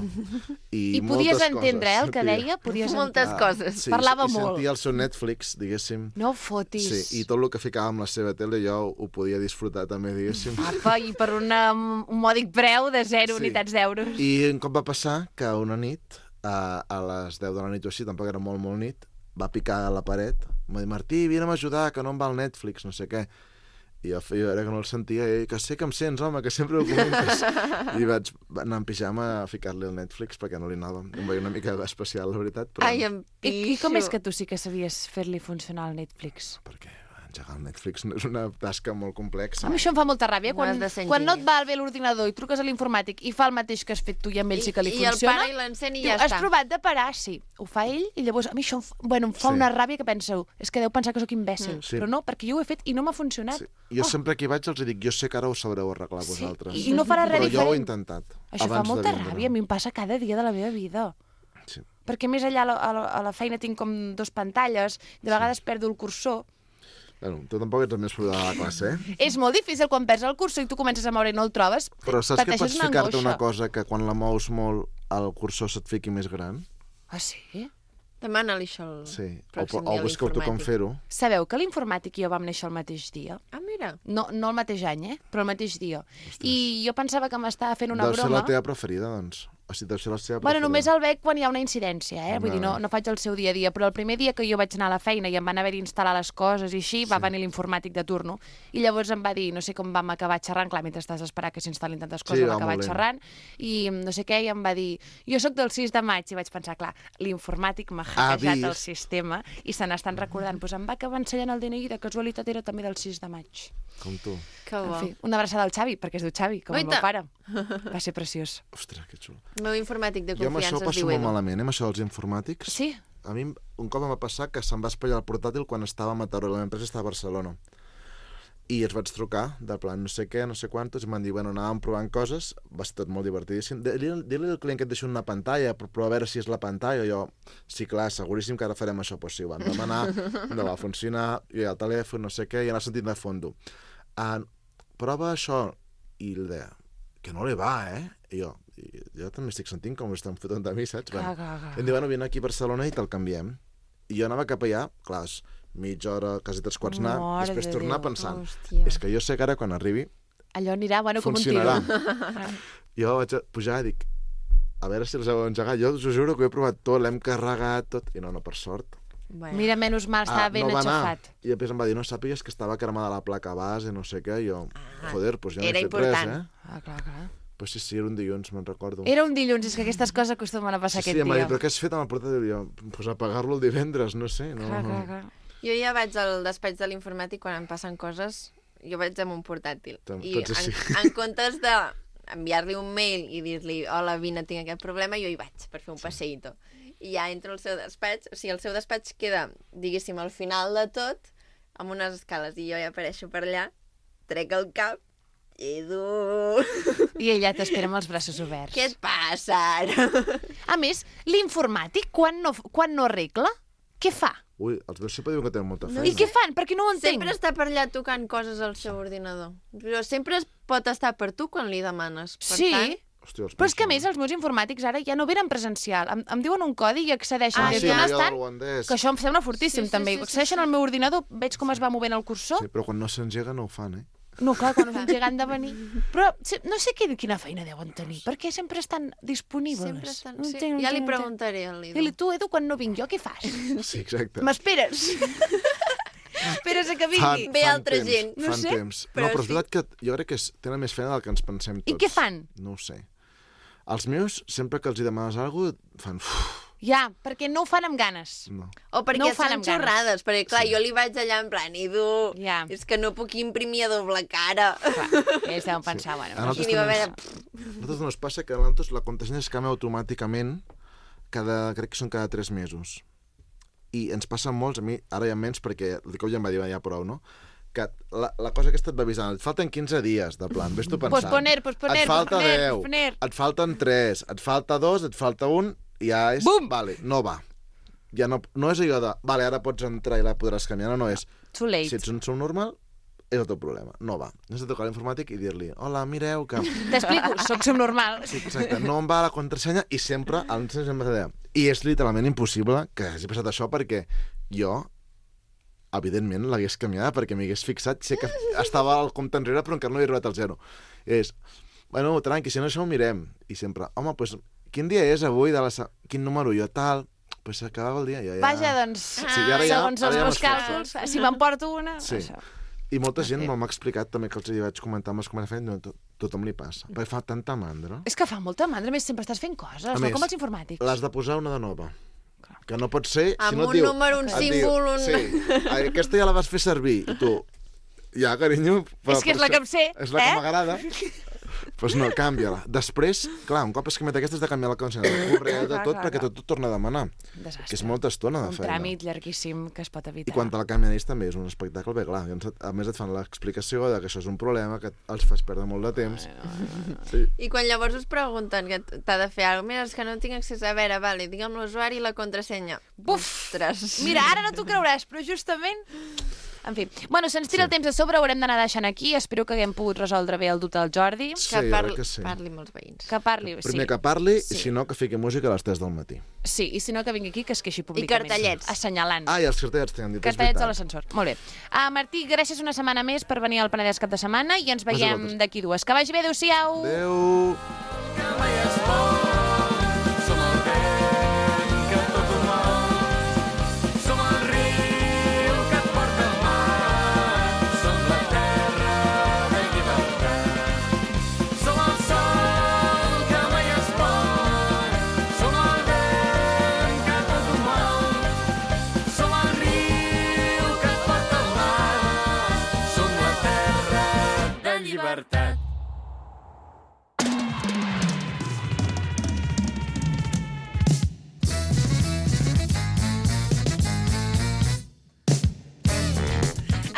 I podies entendre, el que deia? Moltes coses. Sí, parlava molt. I molt. sentia el seu Netflix, diguéssim. No fotis. Sí, i tot el que ficava amb la seva tele jo ho podia disfrutar també, diguéssim. Apa, i per un mòdic preu de 0 unitats d'euros. I un cop va passar que una nit, a les 10 de la nit o així, tampoc era molt nit, va picar a la paret, em va dir, Martí, vine'm a ajudar, que no em va el Netflix, no sé què. I jo era que no el sentia, i que sé que em sents, home, que sempre ho comentes. I vaig anar en pijama a ficar-li el Netflix perquè no li anava. Em veia una mica especial, la veritat. Però... Ai, em pixo. I com és que tu sí que sabies fer-li funcionar el Netflix? Perquè engegar el Netflix és una tasca molt complexa. A mi això em fa molta ràbia. Quan no et va bé l'ordinador i truques a l'informàtic i fa el mateix que has fet tu i amb ell sí que li funciona... I el para i l'encén i ja està. Has provat de parar, sí. Ho fa ell i llavors a mi això em fa una ràbia que penseu, és que deu pensar que sóc imbècil. Però no, perquè jo ho he fet i no m'ha funcionat. Jo sempre que hi vaig els dic, jo sé que ara ho sabreu arreglar vosaltres. I no farà res diferent. Però jo ho he intentat. Això fa molta ràbia, a mi em passa cada dia de la meva vida. Sí. Perquè més allà a la feina tinc com 2 pantalles, de vegades perdo el cursor. Bueno, tu tampoc ets el més fluid de la classe, eh? És molt difícil quan perds el cursor i tu comences a moure i no el trobes. Però saps que pots ficar-te una cosa que quan la mous molt el cursor se't fiqui més gran? Ah, sí? Demana-li això el pròxim dia a l'informàtic. O busqueu tu com fer-ho. Sabeu que l'informàtic i jo vam néixer el mateix dia? Ah, mira. No el mateix any, però el mateix dia. I jo pensava que m'estava fent una broma. Deu ser la teva preferida, doncs. O sigui, deu ser la seva preferida. Bueno, només el veig quan hi ha una incidència, eh? Vull dir, no faig el seu dia a dia, però el primer dia que jo vaig anar a la feina i em van haver d'instal·lar les coses i així, va venir l'informàtic de turno, i llavors em va dir, no sé com vam acabar xerrant, clar, mentre estàs esperant que s'instal·lin tantes coses, vam acabar xerrant, i no sé què, i em va dir, jo sóc del 6 de maig, i vaig pensar, clar, l'informàtic m'ha hackejat el sistema, i se n'estan recordant, doncs em va acabar ensenyant el DNI, de casualitat era també del 6 de maig. Com tu. Que bo. En fi, una abraçada al Xavi, perquè es diu Xavi, com el meu pare. Va ser preciós. Ostres, que xulo. El meu informàtic de confiança es diu Edu. Jo amb això passo molt malament, amb això dels informàtics. Sí? A mi un cop em va passar que se'm va espatllar el portàtil quan estava a Mataró, la meva empresa estava a Barcelona. I els vaig trucar, del plan no sé què, no sé quantos, i m'han dit, bueno, anàvem provant coses, va ser tot molt divertidíssim. Dir-li al client que et deixi una pantalla, però a veure si és la pantalla, jo, sí, clar, seguríssim que ara farem això, doncs sí, ho van demanar, no va funcionar, jo al telèfon, no sé què, i anar sentit de fondo. Prova això, i ell deia, que no li va, I jo també estic sentint com estan fotent de mi, saps? I em diu, bueno, vine aquí a Barcelona i te'l canviem. I jo anava cap allà, clar, mitja hora, quasi 3/4 anar, després tornar pensant, és que jo sé que ara quan arribi allò anirà, bueno, com un tiro. Jo vaig pujar i dic, a veure si els heu engegat. Jo us ho juro que ho he provat tot, l'hem carregat tot, i no, per sort. Mira, menys mal, estava ben enxafat. I després em va dir, no sàpigues que estava cremada la placa base, no sé què, i jo, joder, doncs jo no he fet res, Clar. Però sí, era un dilluns, me'n recordo. Era un dilluns, és que aquestes coses acostumen a passar aquest dia. Sí, em va dir, però què has fet amb el portàtil? Jo, doncs apagar-lo el divendres, no sé. Clar. Jo ja vaig al despatx de l'informàtic quan em passen coses, jo vaig amb un portàtil. I en comptes d'enviar-li un mail i dir-li, hola, vine, tinc aquest problema, jo hi vaig per fer un passeïto. I ja entro al seu despatx, o sigui, el seu despatx queda, diguéssim, al final de tot, amb unes escales, i jo ja apareixo per allà, trec el cap, Edu... I ella t'espera amb els braços oberts. Què et passa ara? A més, l'informàtic, quan no arregla, què fa? Ui, els meus sempre diuen que tenen molta feina. I què fan? Perquè no ho entenc. Sempre està per allà tocant coses al seu ordinador. Però sempre pot estar per tu quan li demanes. Per tant... Hòstia, però és que a més els meus informàtics ara ja no venen presencial. Em diuen un codi i accedeixen des d'on estan, que això em sembla fortíssim també. Accedeixen al meu ordinador, veig com es va movent el cursor. Sí, però quan no s'engega no ho fan, No, clar, quan és un gegant de venir. Però no sé quina feina deuen tenir, perquè sempre estan disponibles. Sempre estan... No Sí. entenc, Ja li no entenc. preguntaré al Lido. I tu, Edu, quan no vinc jo, què fas? Sí, exacte. M'esperes? Esperes a que vingui? Ve altra gent. No Fan sé, temps. però Però és sí. veritat que jo crec que tenen més feina del que ens pensem tots. I què fan? No ho sé. Els meus, sempre que els hi demanes alguna cosa, fan... Ja, perquè no ho fan amb ganes. No. O perquè No ho fan són amb ganes. xorrades, perquè clar, jo li vaig allà en plan, Edu, Ja. és que no puc imprimir a doble cara. Clar, ells deuen pensar, bueno... A nosaltres I n'hi va haver... A nosaltres no ens passa que a nosaltres la contrasenya es canvia automàticament crec que són cada 3 mesos. I ens passa molts, a mi ara ja menys perquè el cop ja em va dir ja prou, no? Que la cosa aquesta et va avisant, et falten 15 dies, de plan, ves tu pensant. Posponer, et falta 10, et falten 3, et falta 2, et falta 1, i ja és... Bum! Vale, no va. Ja no és allò de, vale, ara pots entrar i la podràs canviar, no és... Too late. Si ets un subnormal, és el teu problema, no va. Has de trucar a l'informàtic i dir-li, hola, mireu que... T'explico, soc subnormal. Sí, exacte, no em va la contrasenya i sempre el sempre deia. I és literalment impossible que hagi passat això perquè jo, evidentment, l'hagués canviada perquè m'hi hagués fixat. Sé que estava al compte enrere però encara no havia arribat al 0. I és, bueno, tranqui, si no això ho mirem. I sempre, home, doncs, quin dia és avui? Quin número? Jo tal... Doncs s'acabava el dia. Ja. Vaja, doncs, Sí, i ara ja- segons ara els ja meus m'esforço. càlculs, si m'emporto una... Sí. Això. I molta gent m'ha explicat també que els hi vaig comentar amb els que m'han fet, no, tothom li passa. Perquè fa tanta mandra. És que fa molta mandra, a més sempre estàs fent coses, A no més, com els informàtics. L'has de posar una de nova. Que no pot ser... Amb si no un et diu, número, un et símbol, un... Sí, aquesta ja la vas fer servir. I tu, ja, carinyo... És que és la que em sé, És la que eh? m'agrada. Doncs no, canvia-la. Després, clar, un cop has canviat aquesta, has de canviar la contrasenya del correu, de tot, perquè tot torna a demanar. Desastre. Que és molta estona de Un feina. tràmit llarguíssim que es pot evitar. I quan te la canvien ells també és un espectacle, bé, clar, a més et fan l'explicació de que això és un problema, que els fas perdre molt de temps. Sí. I quan llavors us pregunten que t'ha de fer alguna cosa, mira, és que no tinc accés a veure, vale, digue'm l'usuari i la contrasenya. Buf! Ostres. Mira, ara no t'ho creuràs, però justament... En fi, bueno, se'ns tira el temps a sobre, ho haurem d'anar deixant aquí. Espero que haguem pogut resoldre bé el dubte del Jordi. Sí, Que jo crec que sí. parli amb els veïns. Que parli, Primer sí. que parli, Sí. i si no, que fiqui música a les 3 del matí. Sí, i si no, que vingui aquí, que es queixi públicament. cartellets. Assenyalant. Ah, i els cartellets t'han dit, és Cartellets a veritat. l'ascensor. Molt bé. Martí, gràcies una setmana més per venir al Penedès cap de setmana i ens veiem vosaltres. d'aquí 2. Que vagi bé, adéu-siau! Adéu!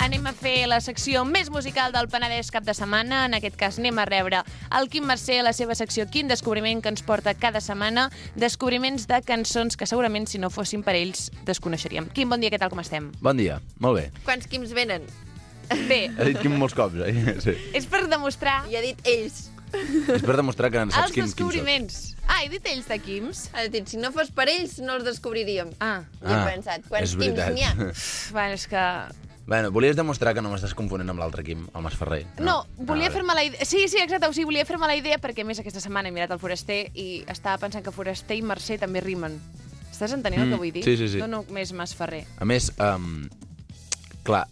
Anem a fer la secció més musical del Penedès cap de setmana. En aquest cas anem a rebre el Quim Mercè a la seva secció Quin descobriment, que ens porta cada setmana descobriments de cançons que segurament si no fossin per ells desconeixeríem. Quim, bon dia, què tal, com estem? Bon dia, molt bé. Quants quims venen? Bé, He dit Quim molts cops, Sí. és per demostrar I ha dit ells. És per demostrar que en saps els quin soc. descobriments. Ah, he dit ells de Quims? Ha dit, si no fos per ells, no els descobriríem. Ah, I he pensat, quants és quims veritat. n'hi ha? bueno, és que... Bueno, volies demostrar que no m'estàs confonent amb l'altre Quim, el Masferrer. No, volia vale. fer-me la idea... Sí, exacte, o sigui, volia fer-me la idea perquè, a més, aquesta setmana he mirat el Foraster i estava pensant que Foraster i Mercè també rimen. Estàs entenent el que vull dir? sí, sí, sí. No només Masferrer. A més, clar,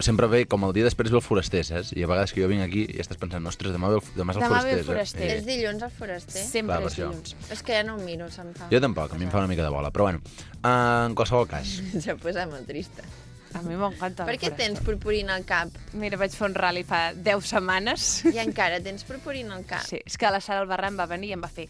sempre ve com el dia després ve el Foraster, saps? I a vegades que jo vinc aquí i estàs pensant, ostres, demà és el Demà ve el Foraster. Foraster. És dilluns al foraster? Sempre Clar, per és això. dilluns. És que ja no ho miro, se'm fa. Jo tampoc, a mi em fa una mica de bola, però bueno, en qualsevol cas. Se posa molt trista. A mi m'encanta. Per què tens purpurina al cap? Mira, vaig fer un rally fa 10 setmanes. I encara tens purpurina al cap? Sí, és que la Sara Albarrán va venir i em va fer...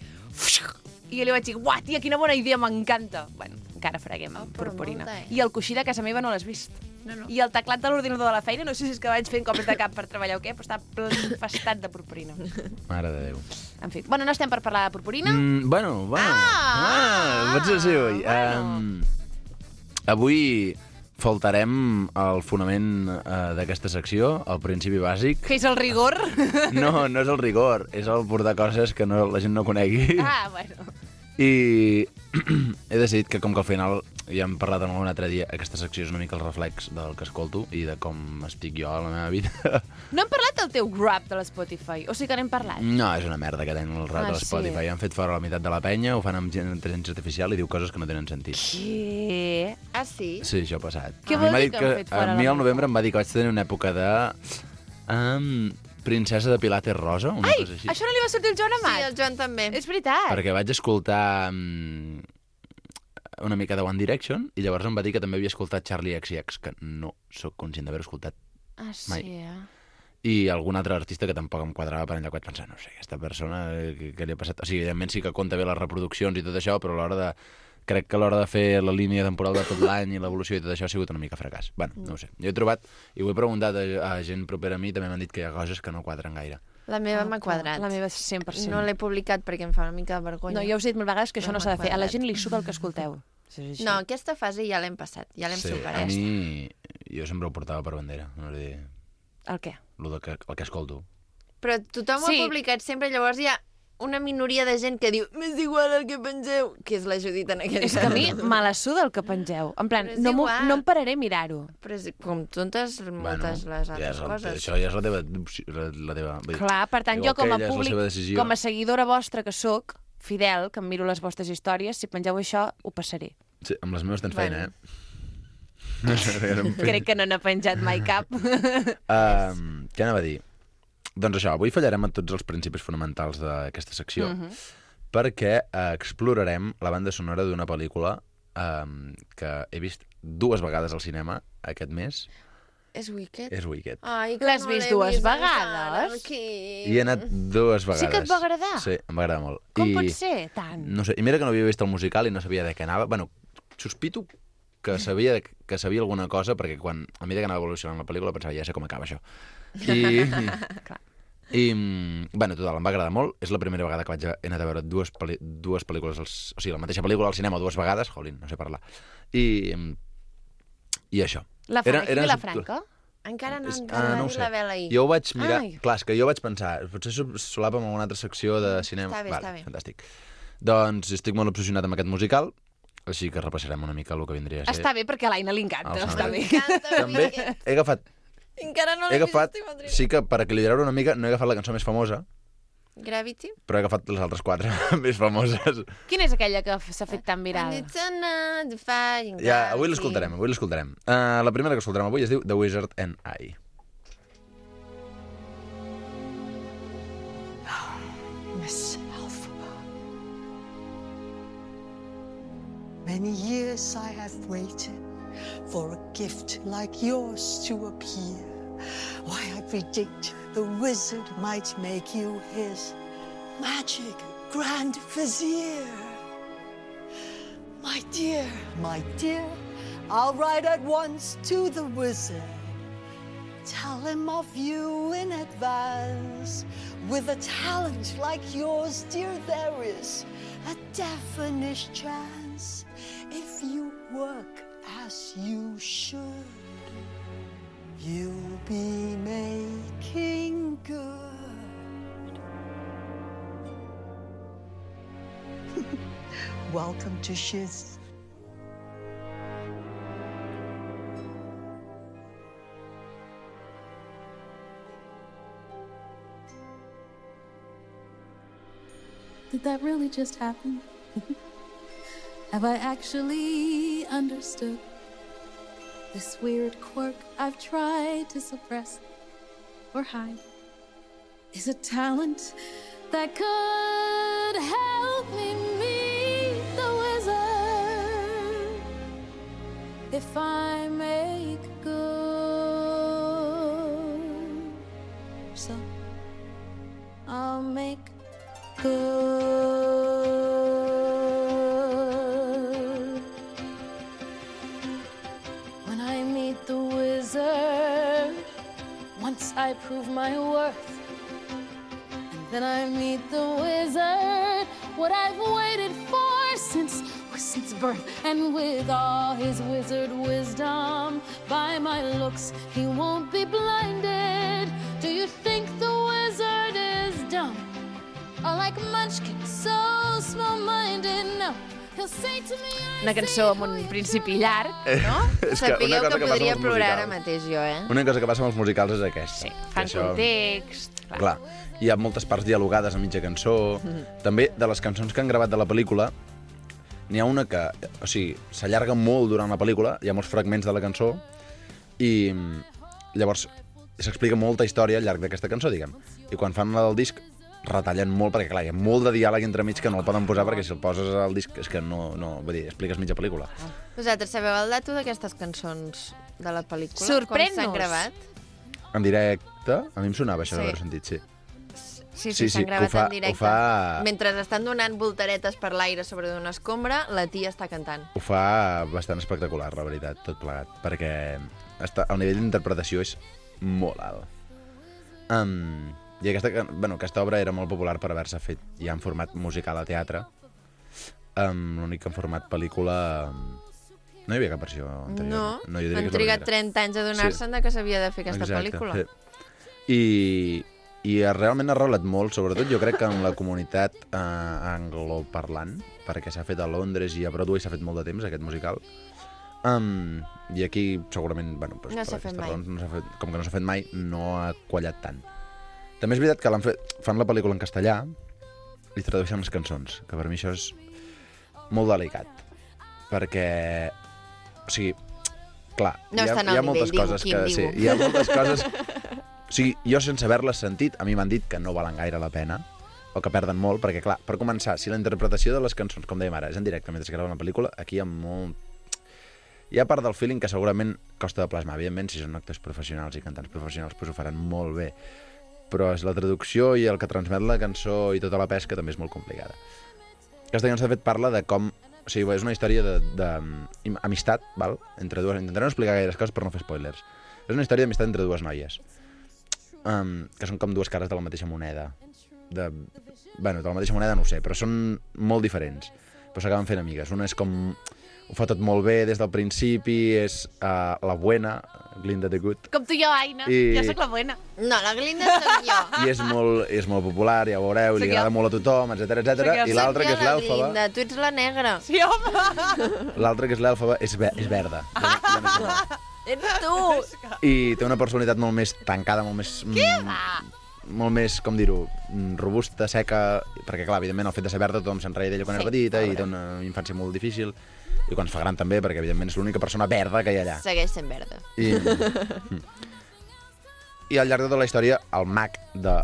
I jo li vaig dir, uah, tia, quina bona idea, m'encanta. Bueno, encara freguem amb però purpurina. molta, I el coixí de casa meva no l'has vist. No. I el teclat de l'ordinador de la feina, no sé si és que vaig fent cops de cap per treballar o què, però està ple infestat de purpurina. Mare de Déu. En fi, bueno, no estem per parlar de purpurina? Bueno. Pots ser sí, avui. Avui faltarem el fonament d'aquesta secció, el principi bàsic. Que és el rigor? No, no és el rigor, és el portar coses que no, la gent no conegui. Ah, bueno. I he decidit que com que al final ja hem parlat algun altre dia, aquesta secció és una mica el reflex del que escolto i de com estic jo a la meva vida. No hem parlat del teu rap de l'Spotify? O sigui que n'hem parlat? No, és una merda que tenen el rap de l'Spotify. Sí. Han fet fora la meitat de la penya, ho fan amb intel·ligència artificial i diu coses que no tenen sentit. Què? Ah, sí? Sí, això ha passat. Què A mi vol m'ha dir dit que han fet fora a la mi al meitat? novembre em va dir que vaig tenir una època de... princesa de Pilates rosa, una Ai, cosa així. això no li va sortir el Joan Amat? Sí, el Joan també. És veritat. Perquè vaig escoltar una mica de One Direction i llavors em va dir que també havia escoltat Charlie XCX, que no sóc conscient d'haver escoltat Ah, sí, mai. I algun altre artista que tampoc em quadrava per allà que vaig pensar, no sé, aquesta persona, què li ha passat? O sigui, evidentment sí que compta bé les reproduccions i tot això, però a l'hora de... Crec que a l'hora de fer la línia temporal de tot l'any i l'evolució i tot això ha sigut una mica fracàs. Bueno, no ho sé. Jo he trobat, i ho he preguntat a gent propera a mi, també m'han dit que hi ha coses que no quadren gaire. La meva m'ha quadrat. La meva 100%. No l'he publicat perquè em fa una mica de vergonya. No, ja us he dit mil vegades que això Però no s'ha de fer. A la m'ha gent li suca el que escolteu. No, aquesta fase ja l'hem passat, ja l'hem Sí, superat. a mi... Jo sempre ho portava per bandera. No sé dir... El què? El que escolto. Però tothom ho ha publicat sempre, llavors hi ha una minoria de gent que diu m'és igual el que penseu, que és la Judit en aquest És que a mi me la suda el que pengeu. En plan, Però és no igual. em pararé a mirar-ho. Però és com moltes les altres coses. Això ja és la teva... La teva vull dir, Clar, per tant, igual jo com que a ella és la públic, seva decisió. com a seguidora vostra que sóc, fidel, que em miro les vostres històries, si pengeu això, ho passaré. Sí, amb les meves tens feina, Crec que no n'ha penjat mai cap. Què anava a dir? Doncs això, avui fallarem en tots els principis fonamentals d'aquesta secció, perquè explorarem la banda sonora d'una pel·lícula que he vist 2 vegades al cinema aquest mes. És Wicked? És Wicked. Ai, que L'has no vist l'he 2 vist vegades? encara. I he anat 2 vegades. Sí que et va agradar? Sí, em va agradar molt. Com pot ser, tant? No sé, i mira que no havia vist el musical i no sabia de què anava. Bueno, sospito que sabia alguna cosa, perquè quan a mesura que anava evolucionant la pel·lícula pensava, ja sé com acaba això. Bueno, total, em va agradar molt. És la primera vegada que he anat a veure dues pel·lícules, o sigui, la mateixa pel·lícula al cinema 2 vegades, jolín, no sé parlar. I això. La Franca? Encara no no no ho sé. la vela ahir. Jo ho vaig mirar... Ai. Clar, és que jo vaig pensar, potser solapa amb alguna altra secció de cinema. Està bé, està bé. Fantàstic. Doncs estic molt obsessionat amb aquest musical, així que repassarem una mica el que vindria a ser. Està bé, perquè a l'Aina li encanta. Els Està bé. També he agafat... Encara no He l'he vist, agafat, estic molt sí que per equilibrar-ho una mica, no he agafat la cançó més famosa, Gravity? però he agafat les altres 4 més famoses. Quina és aquella que s'ha fet tan viral? And it's another fire in Ja, avui gravity. l'escoltarem. La primera que escoltarem avui es diu The Wizard and I. Miss Elphaba. Many years I have waited for a gift like yours to appear. Why, I predict the wizard might make you his magic grand vizier. My dear, I'll write at once to the wizard. Tell him of you in advance. With a talent like yours, dear, there is a definite chance. If you work as you should, you'll be making good. Welcome to Shiz. Did that really just happen? Have I actually understood this weird quirk I've tried to suppress or hide? Is a talent that could help me meet the wizard if I make good. So I'll make good. When I meet the wizard, once I prove my worth, and then I meet the wizard, what I've waited for since birth. And with all his wizard wisdom, by my looks he won't be blinded. Do you think the wizard is dumb? Or like Munchkin, so small-minded? No, He'll say to me, Una cançó amb un principi llarg, no? És que una Sapigueu cosa que que passa podria amb els plorar ara musicals. mateix jo, eh? Una cosa que passa amb els musicals és aquesta. Sí, fan context. Clar, hi ha moltes parts dialogades a mitja cançó. També, de les cançons que han gravat de la pel·lícula, n'hi ha una que, o sigui, s'allarga molt durant la pel·lícula, hi ha molts fragments de la cançó, i llavors s'explica molta història al llarg d'aquesta cançó, diguem. I quan fan la del disc, retallen molt, perquè clar, hi ha molt de diàleg entremig que no el poden posar, perquè si el poses al disc és que no vull dir, expliques mitja pel·lícula. Vosaltres sabeu el dato d'aquestes cançons de la pel·lícula? Sorprèn-nos. Com s'han gravat? En directe, a mi em sonava això d'haver sentit, sí. Sí, s'han gravat en directe. Ho fa... Mentre estan donant voltaretes per l'aire sobre d'una escombra, la tia està cantant. Ho fa bastant espectacular, la veritat, tot plegat, perquè el nivell d'interpretació és molt alt. I aquesta obra era molt popular per haver-se fet ja en format musical a teatre. L'únic en format pel·lícula... No hi havia cap versió anterior. No, jo diria han que és la trigat primera. 30 anys a donar-se'n que s'havia de fer aquesta pel·lícula. Sí. I realment ha arrelat molt, sobretot jo crec que en la comunitat angloparlant, perquè s'ha fet a Londres i a Broadway s'ha fet molt de temps, aquest musical. I aquí segurament, bueno, doncs, no s'ha fet mai. Com que no s'ha fet mai, no ha quallat tant. També és veritat que fan la pel·lícula en castellà i tradueixen les cançons, que per mi això és molt delicat. Perquè, o sigui, clar, no hi ha moltes coses que... Sí, hi ha moltes coses... O sigui, jo sense haver-les sentit, a mi m'han dit que no valen gaire la pena, o que perden molt, perquè clar, per començar, si la interpretació de les cançons, com dèiem ara, és en directe mentre es grava una pel·lícula, aquí hi ha molt... Hi ha part del feeling que segurament costa de plasmar. Evidentment, si són actors professionals i cantants professionals, doncs ho faran molt bé. Però és la traducció i el que transmet la cançó i tota la pesca també és molt complicada. Aquesta cançó, de fet, parla de com... O sigui, és una història d'amistat, val? Entre dues... Intentaré no explicar gaires coses per no fer spoilers. És una història d'amistat entre dues noies, que són com dues cares de la mateixa moneda. De la mateixa moneda no ho sé, però són molt diferents. Però s'acaben fent amigues. Una és com... Ho fa tot molt bé des del principi, és la buena, Glinda the Good. Com tu i jo, Aina. Jo sóc la buena. No, la Glinda soc jo. I és molt popular, ja ho veureu, i li agrada molt a tothom, etc. I l'altra, que és l'Èlfaba... Glinda, tu ets la negra. Sí, home. L'altra, que és l'Èlfaba, és verda. Ets tu! I té una personalitat molt més tancada, molt més... Què va? Molt més, com dir-ho, robusta, seca, perquè clar, evidentment el fet de ser verda tothom se'n reia d'ella quan era petita i té una infància molt difícil, i quan es fa gran també, perquè evidentment és l'única persona verda que hi ha allà. Segueix sent verda. I al llarg de tota la història, el mag de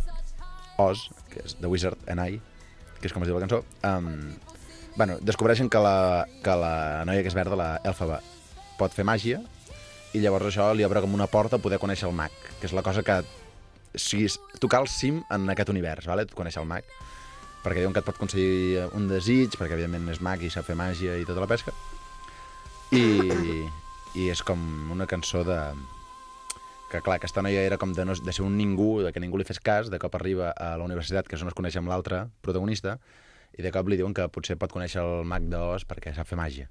Oz, que és The Wizard and I, que és com es diu la cançó, descobreixen que la noia que és verda, la Èlfaba, pot fer màgia, i llavors això li obre com una porta a poder conèixer el mag, que és la cosa que... O sigui, tocar el cim en aquest univers, vale? Conèixer el mag, perquè diuen que et pot aconseguir un desig, perquè evidentment és mag i sap fer màgia i tota la pesca. I és com una cançó de... Que clar, aquesta noia era com de ser un ningú, de que ningú li fes cas, de cop arriba a la universitat, que és on es coneix amb l'altre protagonista, i de cop li diuen que potser pot conèixer el mag d'Oz perquè sap fer màgia.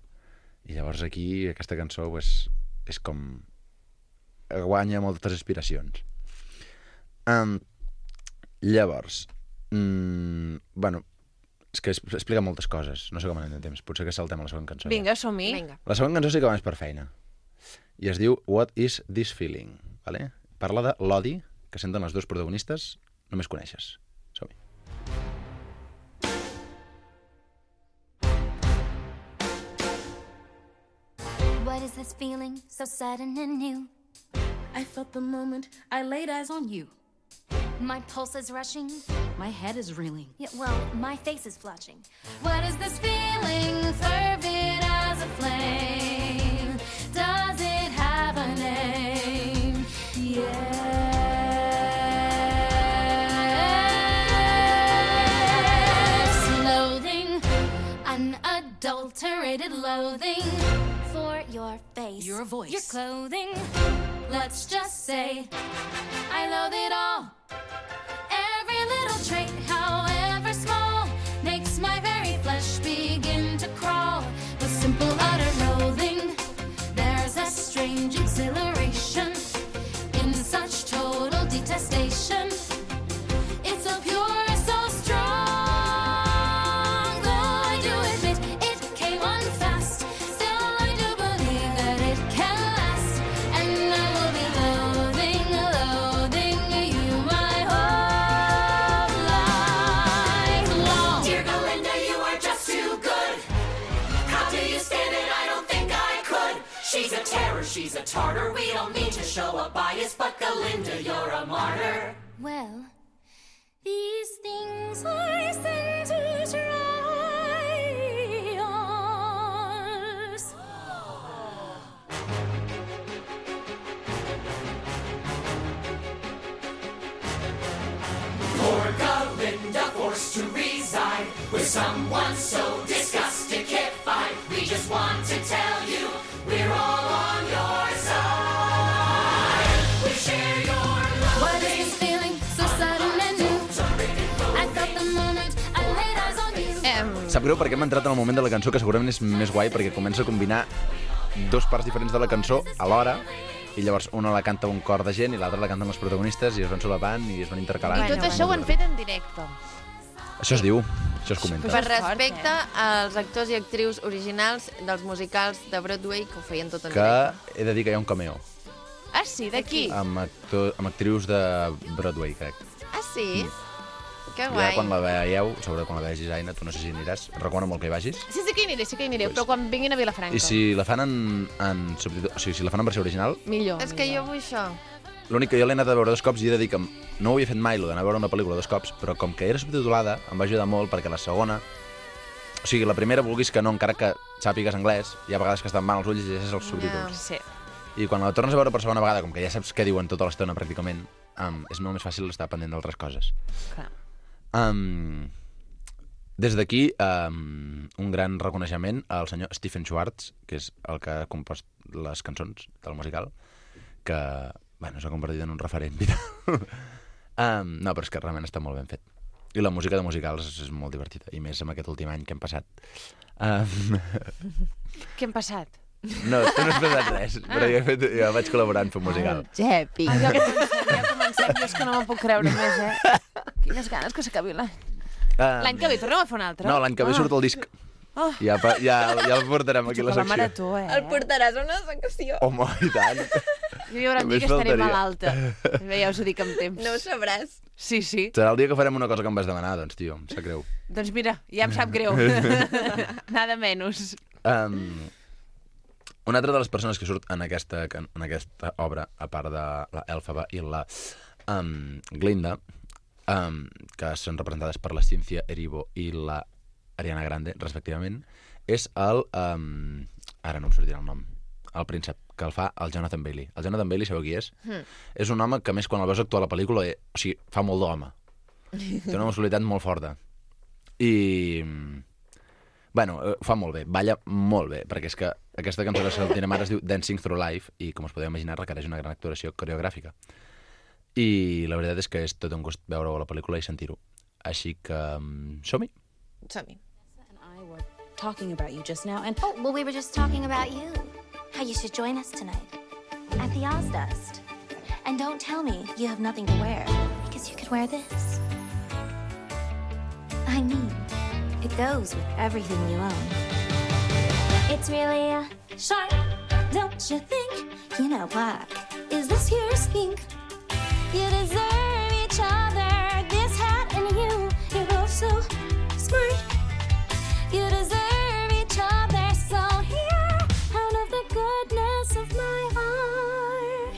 I llavors aquí, aquesta cançó, pues, és com... guanya moltes inspiracions. Llavors, és que explica moltes coses, no sé com anem de temps, potser que saltem a la següent cançó. Vinga, som-hi. La següent cançó sí que va més per feina, i es diu What is this feeling? Vale? Parla de l'odi que senten les dues protagonistes, només coneixes. Som-hi. What is this feeling so sudden and new? I felt the moment I laid eyes on you. My pulse is rushing. My head is reeling. Yeah, well, my face is flushing. What is this feeling, fervid as a flame? Does it have a name? Yes. Loathing, unadulterated loathing for your face, your voice, your clothing. Let's just say I loathe it all. Every little trait, however small, makes my very flesh begin to crawl. With simple utter loathing, there's a strange exhilaration in such total detestation. It's so pure, so strong, though I do admit it came terror, she's a tartar. We don't mean to show a bias, but Galinda, you're a martyr. Well, these things I send to try us. Poor Galinda forced to reside with someone so disgusting-ified. We just want to tell you we're all on your side. We share your love. What is this feeling so sudden and new? I felt the moment I laid eyes on you. Sap greu perquè hem entrat en el moment de la cançó que segurament és més guai perquè comença a combinar dos parts diferents de la cançó alhora i llavors una la canta un cor de gent i l'altra la canten els protagonistes i es van solapant i es van intercalant. I tot això ho han fet en directe. Això es diu, això es comenta. Per respecte als actors i actrius originals dels musicals de Broadway que ho feien tot en Que directe. he de dir que hi ha un cameo Ah, sí? D'aquí? amb actrius de Broadway, crec. Ah, sí? Que Ja guai. quan la veieu, sobretot quan la vegis, Aina, tu no sé si aniràs, recomano molt que hi vagis. Sí que hi aniré, però quan vinguin a Vilafranca. I si la fan en subtítol, o sigui, si la fan en versió original, Millor. És que jo vull això. l'únic que jo l'he anat a veure 2 cops i he de dir que no ho havia fet mai, d'anar a veure una pel·lícula 2 cops, però com que era subtitulada, em va ajudar molt perquè la segona... O sigui, la primera, vulguis que no, encara que sàpigues anglès, hi ha vegades que estan mal els ulls i llegeixes els subtítols. Sí. I quan la tornes a veure per segona vegada, com que ja saps què diuen tota l'estona pràcticament, és molt més fàcil estar pendent d'altres coses. Clar. Des d'aquí, un gran reconeixement al senyor Stephen Schwartz, que és el que ha compost les cançons del musical, que, bueno, s'ha convertit en un referent vital. No, però és que realment està molt ben fet. I la música de musicals és molt divertida, i més amb aquest últim any que hem passat. Què hem passat? No, tu no has passat res, però jo vaig col·laborar en fer un musical. Jepi. Ja comencem, jo és que no m'ho puc creure més, Quines ganes que s'acabi l'any. L'any que ve tornem a fer un altre? No, l'any que ve surt el disc. Ja el portarem aquí a la secció. marató, El portaràs a una secció. Home, i tant. Jo hi haurà un dia que estaré malalta. Ja us ho dic amb temps. No ho sabràs. Sí. Serà el dia que farem una cosa que em vas demanar, doncs, tio, em sap greu. Doncs mira, ja em sap greu. Nada menys. Una altra de les persones que surt en aquesta obra, a part de la Elfaba i la Glinda, que són representades per la Cynthia Erivo i la Ariana Grande, respectivament, és el... ara no em sortirà el nom. El príncep, que el fa el Jonathan Bailey. El Jonathan Bailey, sabeu qui és? És un home que, a més, quan el veus actuar a la pel·lícula, o sigui, fa molt d'home. Té una muscularitat molt forta. I... Bueno, fa molt bé, balla molt bé, perquè és que aquesta cançó que sentirem ara es diu Dancing Through Life i, com us podeu imaginar, requereix una gran actuació coreogràfica. I la veritat és que és tot un gust veure-ho a la pel·lícula i sentir-ho. Així que som-hi. Som-hi. Talking about you just now, and Oh, well, we were just talking about you. How you should join us tonight at the Ozfest. And don't tell me you have nothing to wear, because you could wear this. I mean, it goes with everything you own. It's really sharp, don't you think? You know what? Is this your skink? You deserve each other, this hat and you. You're both so smart. You deserve each other, so here, out of the goodness of my heart.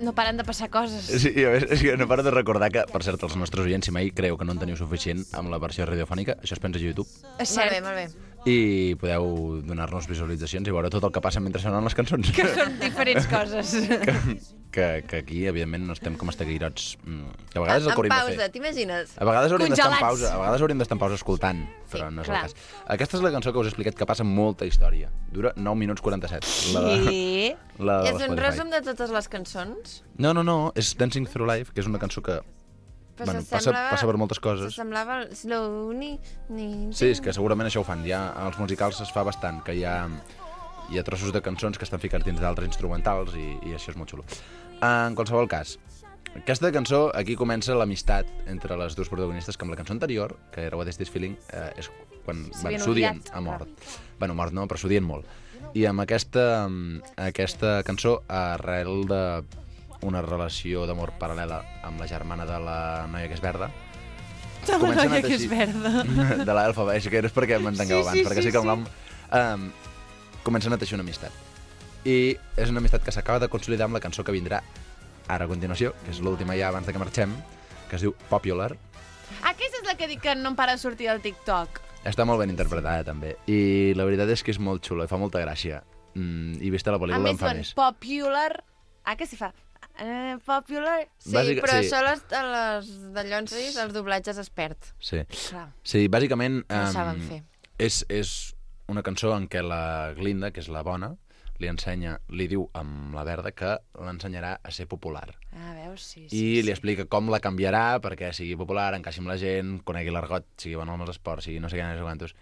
No paren de passar coses. Sí, a més, és que no paro de recordar que, per cert, els nostres oients, si mai creu que no en teniu suficient amb la versió radiofònica, això es pensa a YouTube. És cert. Molt bé, molt bé. i podeu donar-nos visualitzacions i veure tot el que passa mentre sonen les cançons. Que són diferents coses. Que aquí, evidentment, no estem com estaguirots. Que a vegades el que hauríem de fer. pausa, t'imagines? A vegades hauríem d'estar en Congelats. pausa, a vegades hauríem d'estar en pausa escoltant, però no és el clar. cas. Aquesta és la cançó que us he explicat que passa molta història. Dura 9 minuts 47. La de És un Spotify. resum de totes les cançons? No, és Dancing Through Life, que és una cançó que passa per moltes coses. S'assemblava al Slow Sí, és que segurament això ho fan. Ja als musicals es fa bastant, que hi ha trossos de cançons que estan ficats dins d'altres instrumentals i això és molt xulo. En qualsevol cas, aquesta cançó, aquí comença l'amistat entre les dues protagonistes, que amb la cançó anterior, que era What Is This Feeling, és quan s'odien a mort. Bueno, mort no, però s'odien molt. I amb aquesta cançó, arrel d'una relació d'amor paral·lela amb la germana de la noia que és verda, De la noia que és verda. de l'Elfa, és que és perquè m'entengueu abans, perquè sí que el nom comencen a teixir una amistat. I és una amistat que s'acaba de consolidar amb la cançó que vindrà ara a continuació, que és l'última ja abans de que marxem, que es diu Popular. Aquesta és la que dic que no em para de sortir al TikTok. Està molt ben interpretada, també. I la veritat és que és molt xula i fa molta gràcia. I vista la pel·lícula em fa més. Popular... que s'hi fa? Popular... Sí, però sí. això les de Llonsis, els doblatges es perd. Sí. Clar. Sí, bàsicament... No ho saben fer. És una cançó en què la Glinda, que és la bona, li diu amb la verda que l'ensenyarà a ser popular. Veus, sí. I li explica com la canviarà perquè sigui popular, encaixi amb la gent, conegui l'argot, sigui bon amb els esports, sigui no sé què, no sé quantos,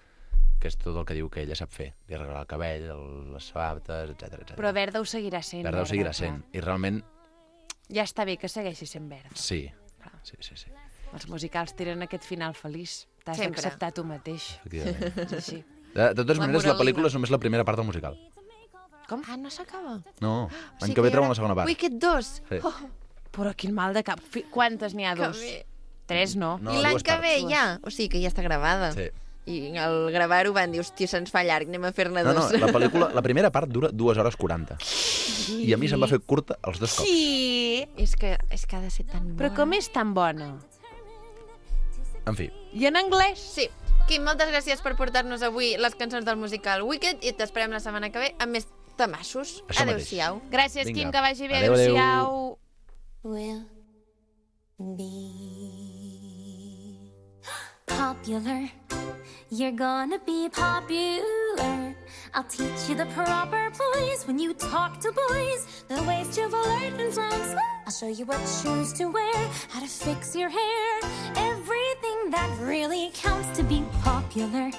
que és tot el que diu que ella sap fer. Li arreglar el cabell, les sabates, etc. Però verda ho seguirà sent. Verda ho seguirà sent. I realment... Ja està bé que segueixi sent verda. Sí. Sí. Els musicals tiren aquest final feliç. T'has Sempre. d'acceptar tu mateix. Efectivament. És així. De totes maneres, la moralina. pel·lícula és només la primera part del musical. Com? No s'acaba. No, l'any que ve treuen la segona part. Wicked 2. Sí. Però quin mal de cap. Quantes n'hi ha? Que 2? bé. 3, no? No, I l'any dues que ve parts. ja. O sigui que ja està gravada. Sí. I al gravar-ho van dir, hòstia, se'ns fa llarg, anem a fer-ne No, dos. la pel·lícula, la primera part dura 2 hores 40. I a mi se'm va fer curta els 2 cops. Sí! És que ha de ser tan bona. Però com és tan bona? En fi. I en anglès? Sí. Quim, moltes gràcies per portar-nos avui les cançons del musical Wicked i t'esperem la setmana que ve amb més tamassos. Això mateix. Adéu-siau. Gràcies, Vinga. Quim, que vagi bé. Adéu, adéu. Adéu-siau. Will be popular. You're gonna be popular. I'll teach you the proper poise when you talk to boys, the ways to flirt and songs. I'll show you what shoes to wear, how to fix your hair, everything that really counts to be popular.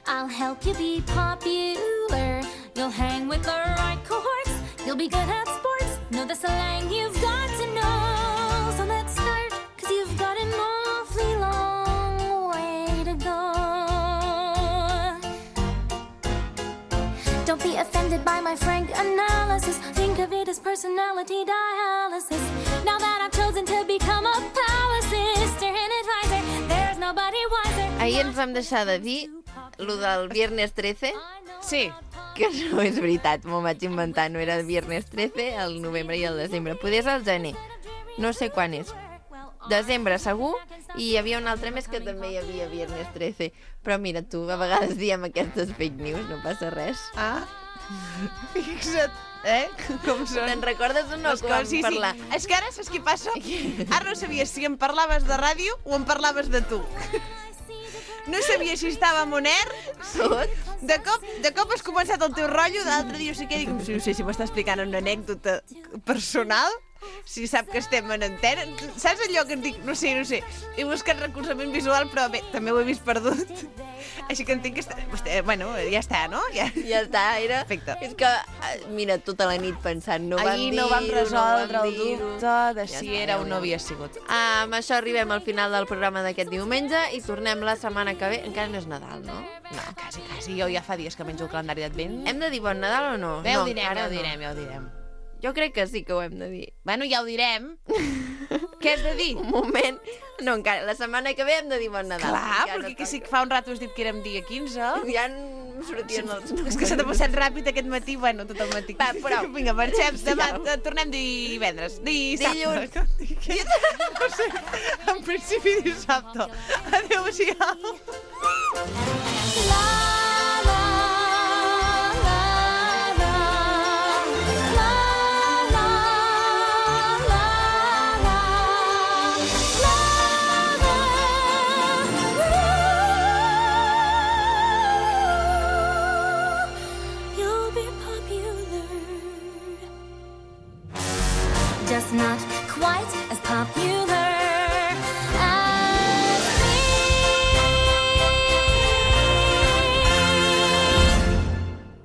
I'll help you be popular. You'll hang with the right cohorts. You'll be good at sports. Know the slang you've got to know. So let's start, 'cause you've got an awfully long way to go. Don't be offended by my frank analysis. Think of it as personality dialysis. Now that I've chosen to become a power sister and advisor, there's nobody wiser. Ahir ens vam deixar de dir lo del Viernes 13. Sí. Que no és veritat, m'ho vaig inventar. No era el Viernes 13, el novembre i el desembre. Poder és el gener. No sé quan és. Desembre, segur, i hi havia un altre mes que també hi havia Viernes 13. Però mira tu, a vegades diem aquestes fake news, no passa res. Fixa't, com són. Te'n recordes o no Les que vam coses, sí, parlar? Sí. És que ara saps què passa? Ara no sabies si em parlaves de ràdio o em parlaves de tu. No sabia si estàvem on air. De cop has començat el teu rotllo, d'altre dia no sé què, dic, no sé si m'està explicant una anècdota personal, si sap que estem en antena. Saps allò que et dic? No sé. He buscat recolzament visual, però bé, també ho he vist perdut. Així que entenc que... Bueno, ja està, no? Ja està, era... Perfecte. És que, mira, tota la nit pensant, no vam Ahir dir-ho, no vam resoldre el dir-ho. dubte de Ja si està, era o ja no ho havia sigut. Amb això arribem al final del programa d'aquest diumenge i tornem la setmana que ve. Encara no és Nadal, no? No, quasi. Jo ja fa dies que menjo el calendari d'Advent. Hem de dir bon Nadal o no? Bé, ho No, direm, encara ja ho no. direm, ja ho direm. Jo crec que sí que ho hem de dir. Bueno, ja ho direm. Què has de dir? Un moment. No, encara. La setmana que ve hem de dir bon Nadal. Clar, Ja perquè no que sí toca. que fa un rato has dit que érem dia 15. Ja em sortien els números. És que s'ha passat ràpid aquest matí, bueno, tot el matí. Va, prou. Vinga, marxem. Demà tornem divendres. Dissabte. No sé, en principi dissabte. Adéu-siau.